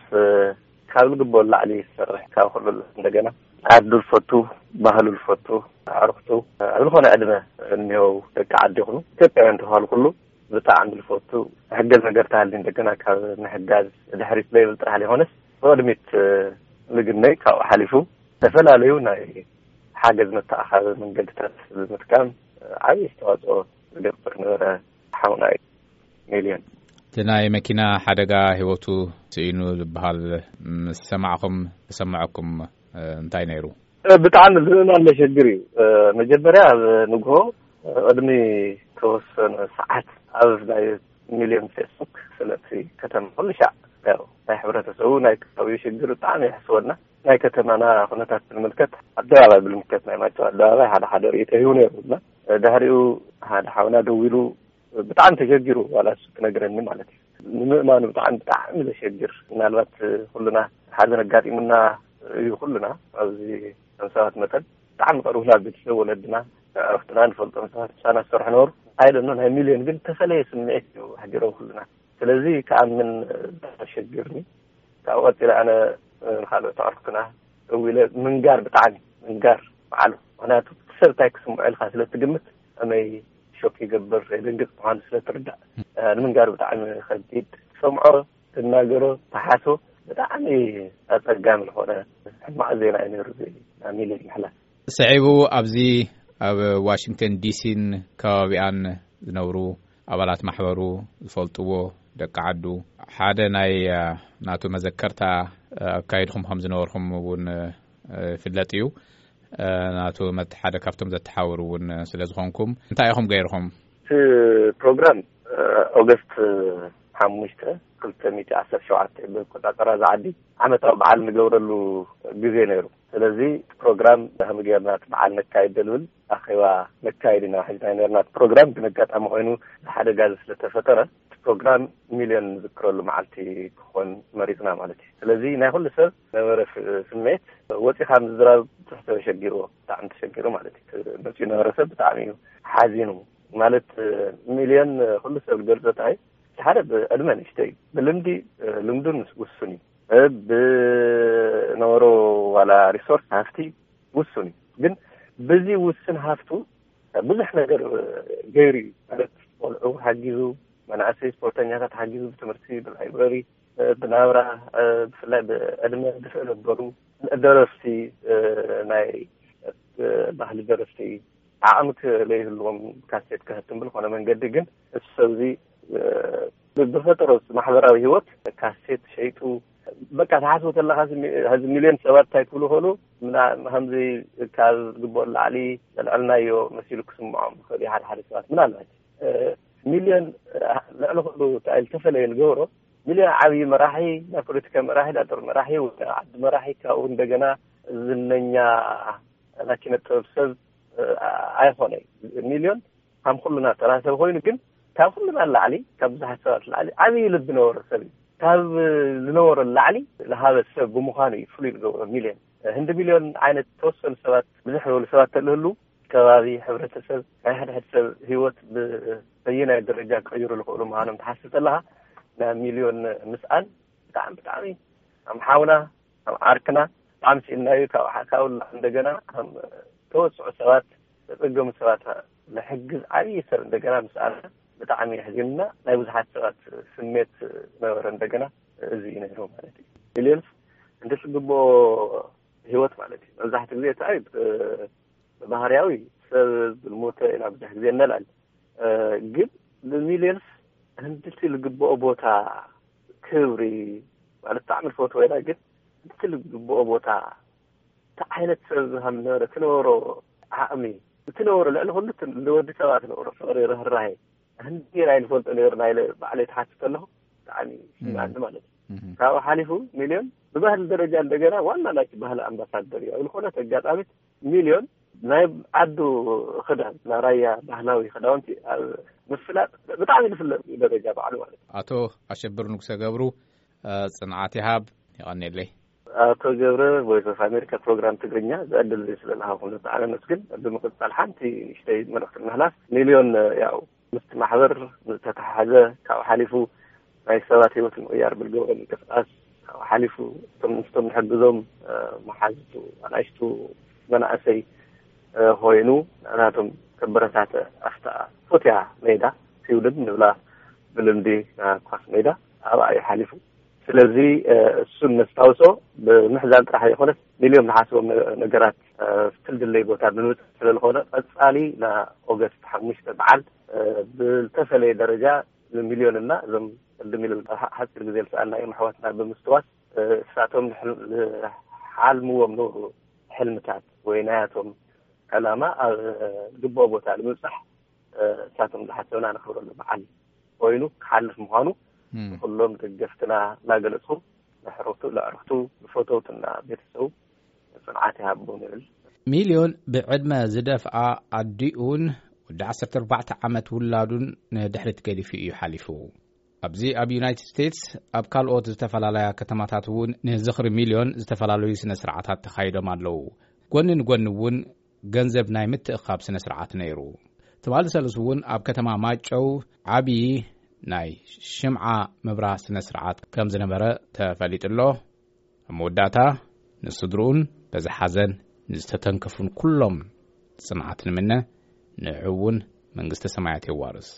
ካብ ዝግበኦ ላዕሊ ዝሰርሕ ካብ ኩሉ እንደገና ዓዱ ዝፈቱ ባህሉ ዝፈቱ ኣዕሩኽቱ ኣብ ዝኾነ ዕድመ እኒሆው ደቂ ዓዲ ይኹኑ ኢትዮጵያውያን ተባሃሉ ኩሉ ብጣዕሚ ዝፈቱ ሕገዝ ነገር ተሃሊ እንደገና ካብ ምሕጋዝ ድሕሪት ዘይብል ጥራሕ ዘይኮነስ ብቕድሚት ምግነይ ካብኡ ሓሊፉ ዝተፈላለዩ ናይ ሓገዝ መተኣኻቢ መንገድታት ብምጥቃም ዓብዪ ኣስተዋፅኦ ዝገብር ነበረ ሓውና እዩ። ሚልዮን እቲ ናይ መኪና ሓደጋ ህይወቱ ስኢኑ ዝበሃል ምስ ሰማዕኹም ተሰማዐኩም እንታይ ነይሩ? ብጣዕሚ ዝእማን መሸግር እዩ። መጀመርያ ኣብ ንግሆ ቅድሚ ተወሰነ ሰዓት ኣብ ናይ ሚልዮን ፌስቡክ ስለቲ ከተማ ኩሉ ሻዕ ናይ ሕብረተሰቡ ናይ ከባቢኡ ሽግር ብጣዕሚ የሕስወና። ናይ ከተማና ኩነታት ብምልከት ኣደባባይ ብምልከት ናይ ማይጨው ኣደባባይ ሓደ ሓደ ርእይቶ ሂቡ ነይሩ እና ድሕሪኡ ሓደ ሓውና ደዊሉ ብጣዕሚ ተሸጊሩ ዋላ እሱ ክነግረኒ ማለት እዩ። ንምእማኑ ብጣዕሚ ብጣዕሚ ዘሸግር ምናልባት ኩሉና ሓዘን ኣጋጢሙና እዩ ኩሉና ኣብዚ ከም ሰባት መጠን ብጣዕሚ ቀርቡና ቤተሰብ ወለድና ዕረፍትና ንፈልጦም ሰባት ምሳና ዝሰርሑ ነበሩ። ኣይደኖ ናይ ሚልዮን ግን ተፈለየ ስምዒት እዩ ኣሕዲሮም ኩሉና። ስለዚ ክኣምን ኣሸግርኒ። ካብኡ ቀፂለ ኣነ ንካልኦት ኣዕሩኽትና እው ኢለ ምንጋር ብጣዕሚ ምንጋር በዓሉ ምክንያቱ ሰብ እንታይ ክስምዖ ኢልካ ስለ ትግምት ከመይ ሾክ ይገብር የደንግፅ ምኳኑ ስለ ትርዳእ ንምንጋር ብጣዕሚ ከቢድ ትሰምዖ ትናገሮ ተሓስቦ ብጣዕሚ ኣፀጋሚ ዝኾነ ሕማቕ ዜና እዩ ነይሩ። ናሚለ ምሕላ ስዒቡ ኣብዚ ኣብ ዋሽንግተን ዲሲን ከባቢኣን ዝነብሩ ኣባላት ማሕበሩ ዝፈልጥዎ ደቂ ዓዱ ሓደ ናይ ናቱ መዘከርታ ኣካይድኹም ከም ዝነበርኩም እውን ይፍለጥ እዩ። ናቱ ሓደ ካብቶም ዘተሓውሩ እውን ስለ ዝኾንኩም እንታይ ኢኹም ገይርኹም? እቲ ፕሮግራም ኦገስት ሓሙሽተ ክልተ ሚእቲ ዓሰርተ ሸውዓተ ብቆጻጸራ ዝዓዲ ዓመታዊ በዓል ንገብረሉ ግዜ ነይሩ። ስለዚ እቲ ፕሮግራም ከመይ ጌርና እቲ በዓል ነካይድ ደልብል ኣኼባ ነካይድ ኢና ሒዝና ነርና። እቲ ፕሮግራም ግን ኣጋጣሚ ኮይኑ ሓደጋ እዚ ስለተፈጠረ እቲ ፕሮግራም ሚልዮን ንዝክረሉ መዓልቲ ክኾን መሪፅና ማለት እዩ። ስለዚ ናይ ኩሉ ሰብ ነበረ ስምዒት ወፂኻ ምዝራብ ትሕተ ተሸጊርዎ ብጣዕሚ ተሸጊሩ ማለት እዩ። መፂኡ ነበረ ሰብ ብጣዕሚ እዩ ሓዚኑ ማለት ሚልዮን ኩሉ ሰብ ዝገልፆ እንታይ ሓደ ብዕድመ ንእሽተይ እዩ። ብልምዲ ልምዱን ውሱን እዩ። ብነበሮ ዋላ ሪሶርስ ሃፍቲ ውሱን እዩ። ግን ብዚ ውስን ሃፍቱ ብዙሕ ነገር ገይሩ እዩ ማለት ቆልዑ ሓጊዙ፣ መናእሰይ ስፖርተኛታት ሓጊዙ፣ ብትምህርቲ፣ ብላይብረሪ፣ ብናብራ፣ ብፍላይ ብዕድመ ድፍእ ነበሩ ደረፍቲ፣ ናይ ባህሊ ደረፍቲ ዓቕሚ ለይህልዎም ካሴት ከህትም ብልኾነ መንገዲ ግን እቲ ሰብዚ ብፈጠሮ ማሕበራዊ ህይወት ካሴት ሸይጡ በቃ ተሓስቦ ተለካ ዚ ሚልዮን ሰባት እንታይ ክብሉ ከሉ ከምዚ ካብ ዝግበኦ ላዕሊ ዘልዐልናዮ መሲሉ ክስምዖም ክእል ሓደ ሓደ ሰባት ምናልባት ሚልዮን ልዕሊ ክሉ ተኣይ ዝተፈለየ ዝገብሮ ሚልዮን ዓብዪ መራሒ፣ ናይ ፖለቲካ መራሒ፣ ናይ ጦር መራሒ፣ ናይ ዓዲ መራሒ፣ ካብኡ እንደገና ዝነኛ ናይ ኪነ ጥበብ ሰብ ኣይኮነ። ሚልዮን ከም ኩሉና ተራ ሰብ ኮይኑ፣ ግን ካብ ኩሉና ላዕሊ፣ ካብ ብዙሓት ሰባት ላዕሊ ዓብዪ ልቢ ነበሮ ሰብ እዩ። ካብ ዝነበሮ ላዕሊ ዝሃበ ሰብ ብምዃኑ እዩ ፍሉይ ዝገብሮ ሚልዮን። ህንዲ ሚልዮን ዓይነት ተወሰኑ ሰባት፣ ብዝሕ ዝበሉ ሰባት ተልህሉ፣ ከባቢ፣ ሕብረተሰብ፣ ናይ ሕድሕድ ሰብ ህይወት ብበየናይ ደረጃ ክቕይሩ ዝኽእሉ ምዃኖም ትሓስብ ከለኻ፣ ናይ ሚልዮን ምስኣን ብጣዕሚ፣ ብጣዕሚ ከም ሓውና፣ ከም ዓርክና ብጣዕሚ ስኢንናዩ። ካብ ሓካውላ እንደገና ከም ተወስዑ ሰባት፣ ተጸገሙ ሰባት ንሕግዝ ዓብዪ ሰብ እንደገና ምስኣና ብጣዕሚ የሕዚንና። ናይ ብዙሓት ሰባት ስሜት ነበረ። እንደገና እዚ እዩ ነይሩ ማለት እዩ። ሚልዮንስ እንደ ዝግብኦ ህይወት ማለት እዩ። መብዛሕትኡ ግዜ እቲ ኣይ ብባህርያዊ ሰብ ዝሞተ ኢና ብዙሕ ግዜ እነልዕል። ግን ንሚልዮንስ ህንድቲ ዝግብኦ ቦታ፣ ክብሪ ማለት ብጣዕሚ ንፈትዎ ኢና። ግን ህንድቲ ዝግብኦ ቦታ፣ እንታይ ዓይነት ሰብ ከም ዝነበረ፣ ትነበሮ ዓቕሚ፣ እቲ ነበሮ ልዕሊ ኩሉ እቲ ንወዲ ሰባት ነበሮ ፍቕሪ፣ ርህራሄ፣ ህንዲ ናይ ንፈልጦ ነይርና ኢለ ባዕለይ ተሓትት ኣለኹ። ብጣዕሚ ይስምዓኒ ማለት እዩ። ካብኡ ሓሊፉ ሚልዮን ብባህሊ ደረጃ እንደገና ዋና ናይቲ ባህሊ ኣምባሳደር እዩ። ኣብ ዝኾነት ኣጋጣሚት ሚልዮን ናይ ዓዱ ክዳን፣ ናይ ራያ ባህላዊ ክዳውንቲ ኣብ ምፍላጥ ብጣዕሚ ዝፍለጥ እዩ፣ ደረጃ ባዕሉ ማለት እዩ። ኣቶ ኣሸብር ንጉሰ ገብሩ፣ ጽንዓት ይሃብ። ይቐንየለይ። ኣቶ ገብረ፣ ቮይስ ኦፍ ኣሜሪካ ፕሮግራም ትግርኛ፣ ዝዕድል እዚ ስለ ዝሃብኩም ብጣዕሚ ኣመስግን። ብምቕጻል ሓንቲ ንእሽተይ መልእኽቲ ንምሕላፍ፣ ሚልዮን ያው ምስቲ ማሕበር ዝተተሓሓዘ፣ ካብኡ ሓሊፉ ናይ ሰባት ህይወት ንምቕያር ብዝገብሮ ምንቅስቃስ፣ ካብኡ ሓሊፉ እቶም ምስቶም ንሕግዞም መሓዝቱ፣ ኣናእሽቱ፣ መናእሰይ ኮይኑ ናቶም ከበረታተ ኣብታ ፎትያ ሜዳ፣ ፊውልድ ንብላ ብልምዲ ኳስ ሜዳ፣ ኣብኣ እዩ ሓሊፉ። ስለዚ እሱን ነስታውሶ፣ ብምሕዛን ጥራሕ ዘይኮነስ ሚልዮን ዝሓስቦም ነገራት ፍልድለይ ቦታ ብምብፃሕ ስለዝኾነ፣ ቀፃሊ ንኦገስት ሓሙሽተ በዓል ብዝተፈለየ ደረጃ ንሚልዮንና እዞም ቅድም ኢሉ ሓፂር ግዜ ዝሰኣልናዮም ኣሕዋትና ብምስትዋስ፣ እሳቶም ዝሓልምዎም ነበሩ ሕልምታት ወይ ናያቶም ዕላማ ኣብ ዝግብኦ ቦታ ንምብፃሕ፣ እሳቶም ዝሓሰብና ነኽብረሉ በዓል ኮይኑ ክሓልፍ ምዃኑ ንኩሎም ደገፍትና እናገለፅኹም፣ ንሕረቱ ለዕርክቱ፣ ንፈተውትና ቤተሰቡ ፅንዓት ይሃቦም ይብል። ሚልዮን ብዕድመ ዝደፍኣ ኣዲኡን ወዲ ዓሰርተ ኣርባዕተ ዓመት ውላዱን ንድሕሪት ገዲፉ እዩ ሓሊፉ። ኣብዚ ኣብ ዩናይትድ ስቴትስ ኣብ ካልኦት ዝተፈላለያ ከተማታት እውን ንዝኽሪ ሚልዮን ዝተፈላለዩ ስነ ስርዓታት ተኻይዶም ኣለዉ። ጎኒ ንጎኒ እውን ገንዘብ ናይ ምትእኻብ ስነ ስርዓት ነይሩ። ትማሊ ሰሉስ እውን ኣብ ከተማ ማጨው ዓብዪ ናይ ሽምዓ ምብራ ስነ ስርዓት ከም ዝነበረ ተፈሊጡ ኣሎ። ኣብ መወዳእታ ንስድርኡን በዚ ሓዘን ንዝተተንከፉን ኩሎም ጽንዓት ንምነ፣ ንዕኡ እውን መንግስተ ሰማያት የዋርስ።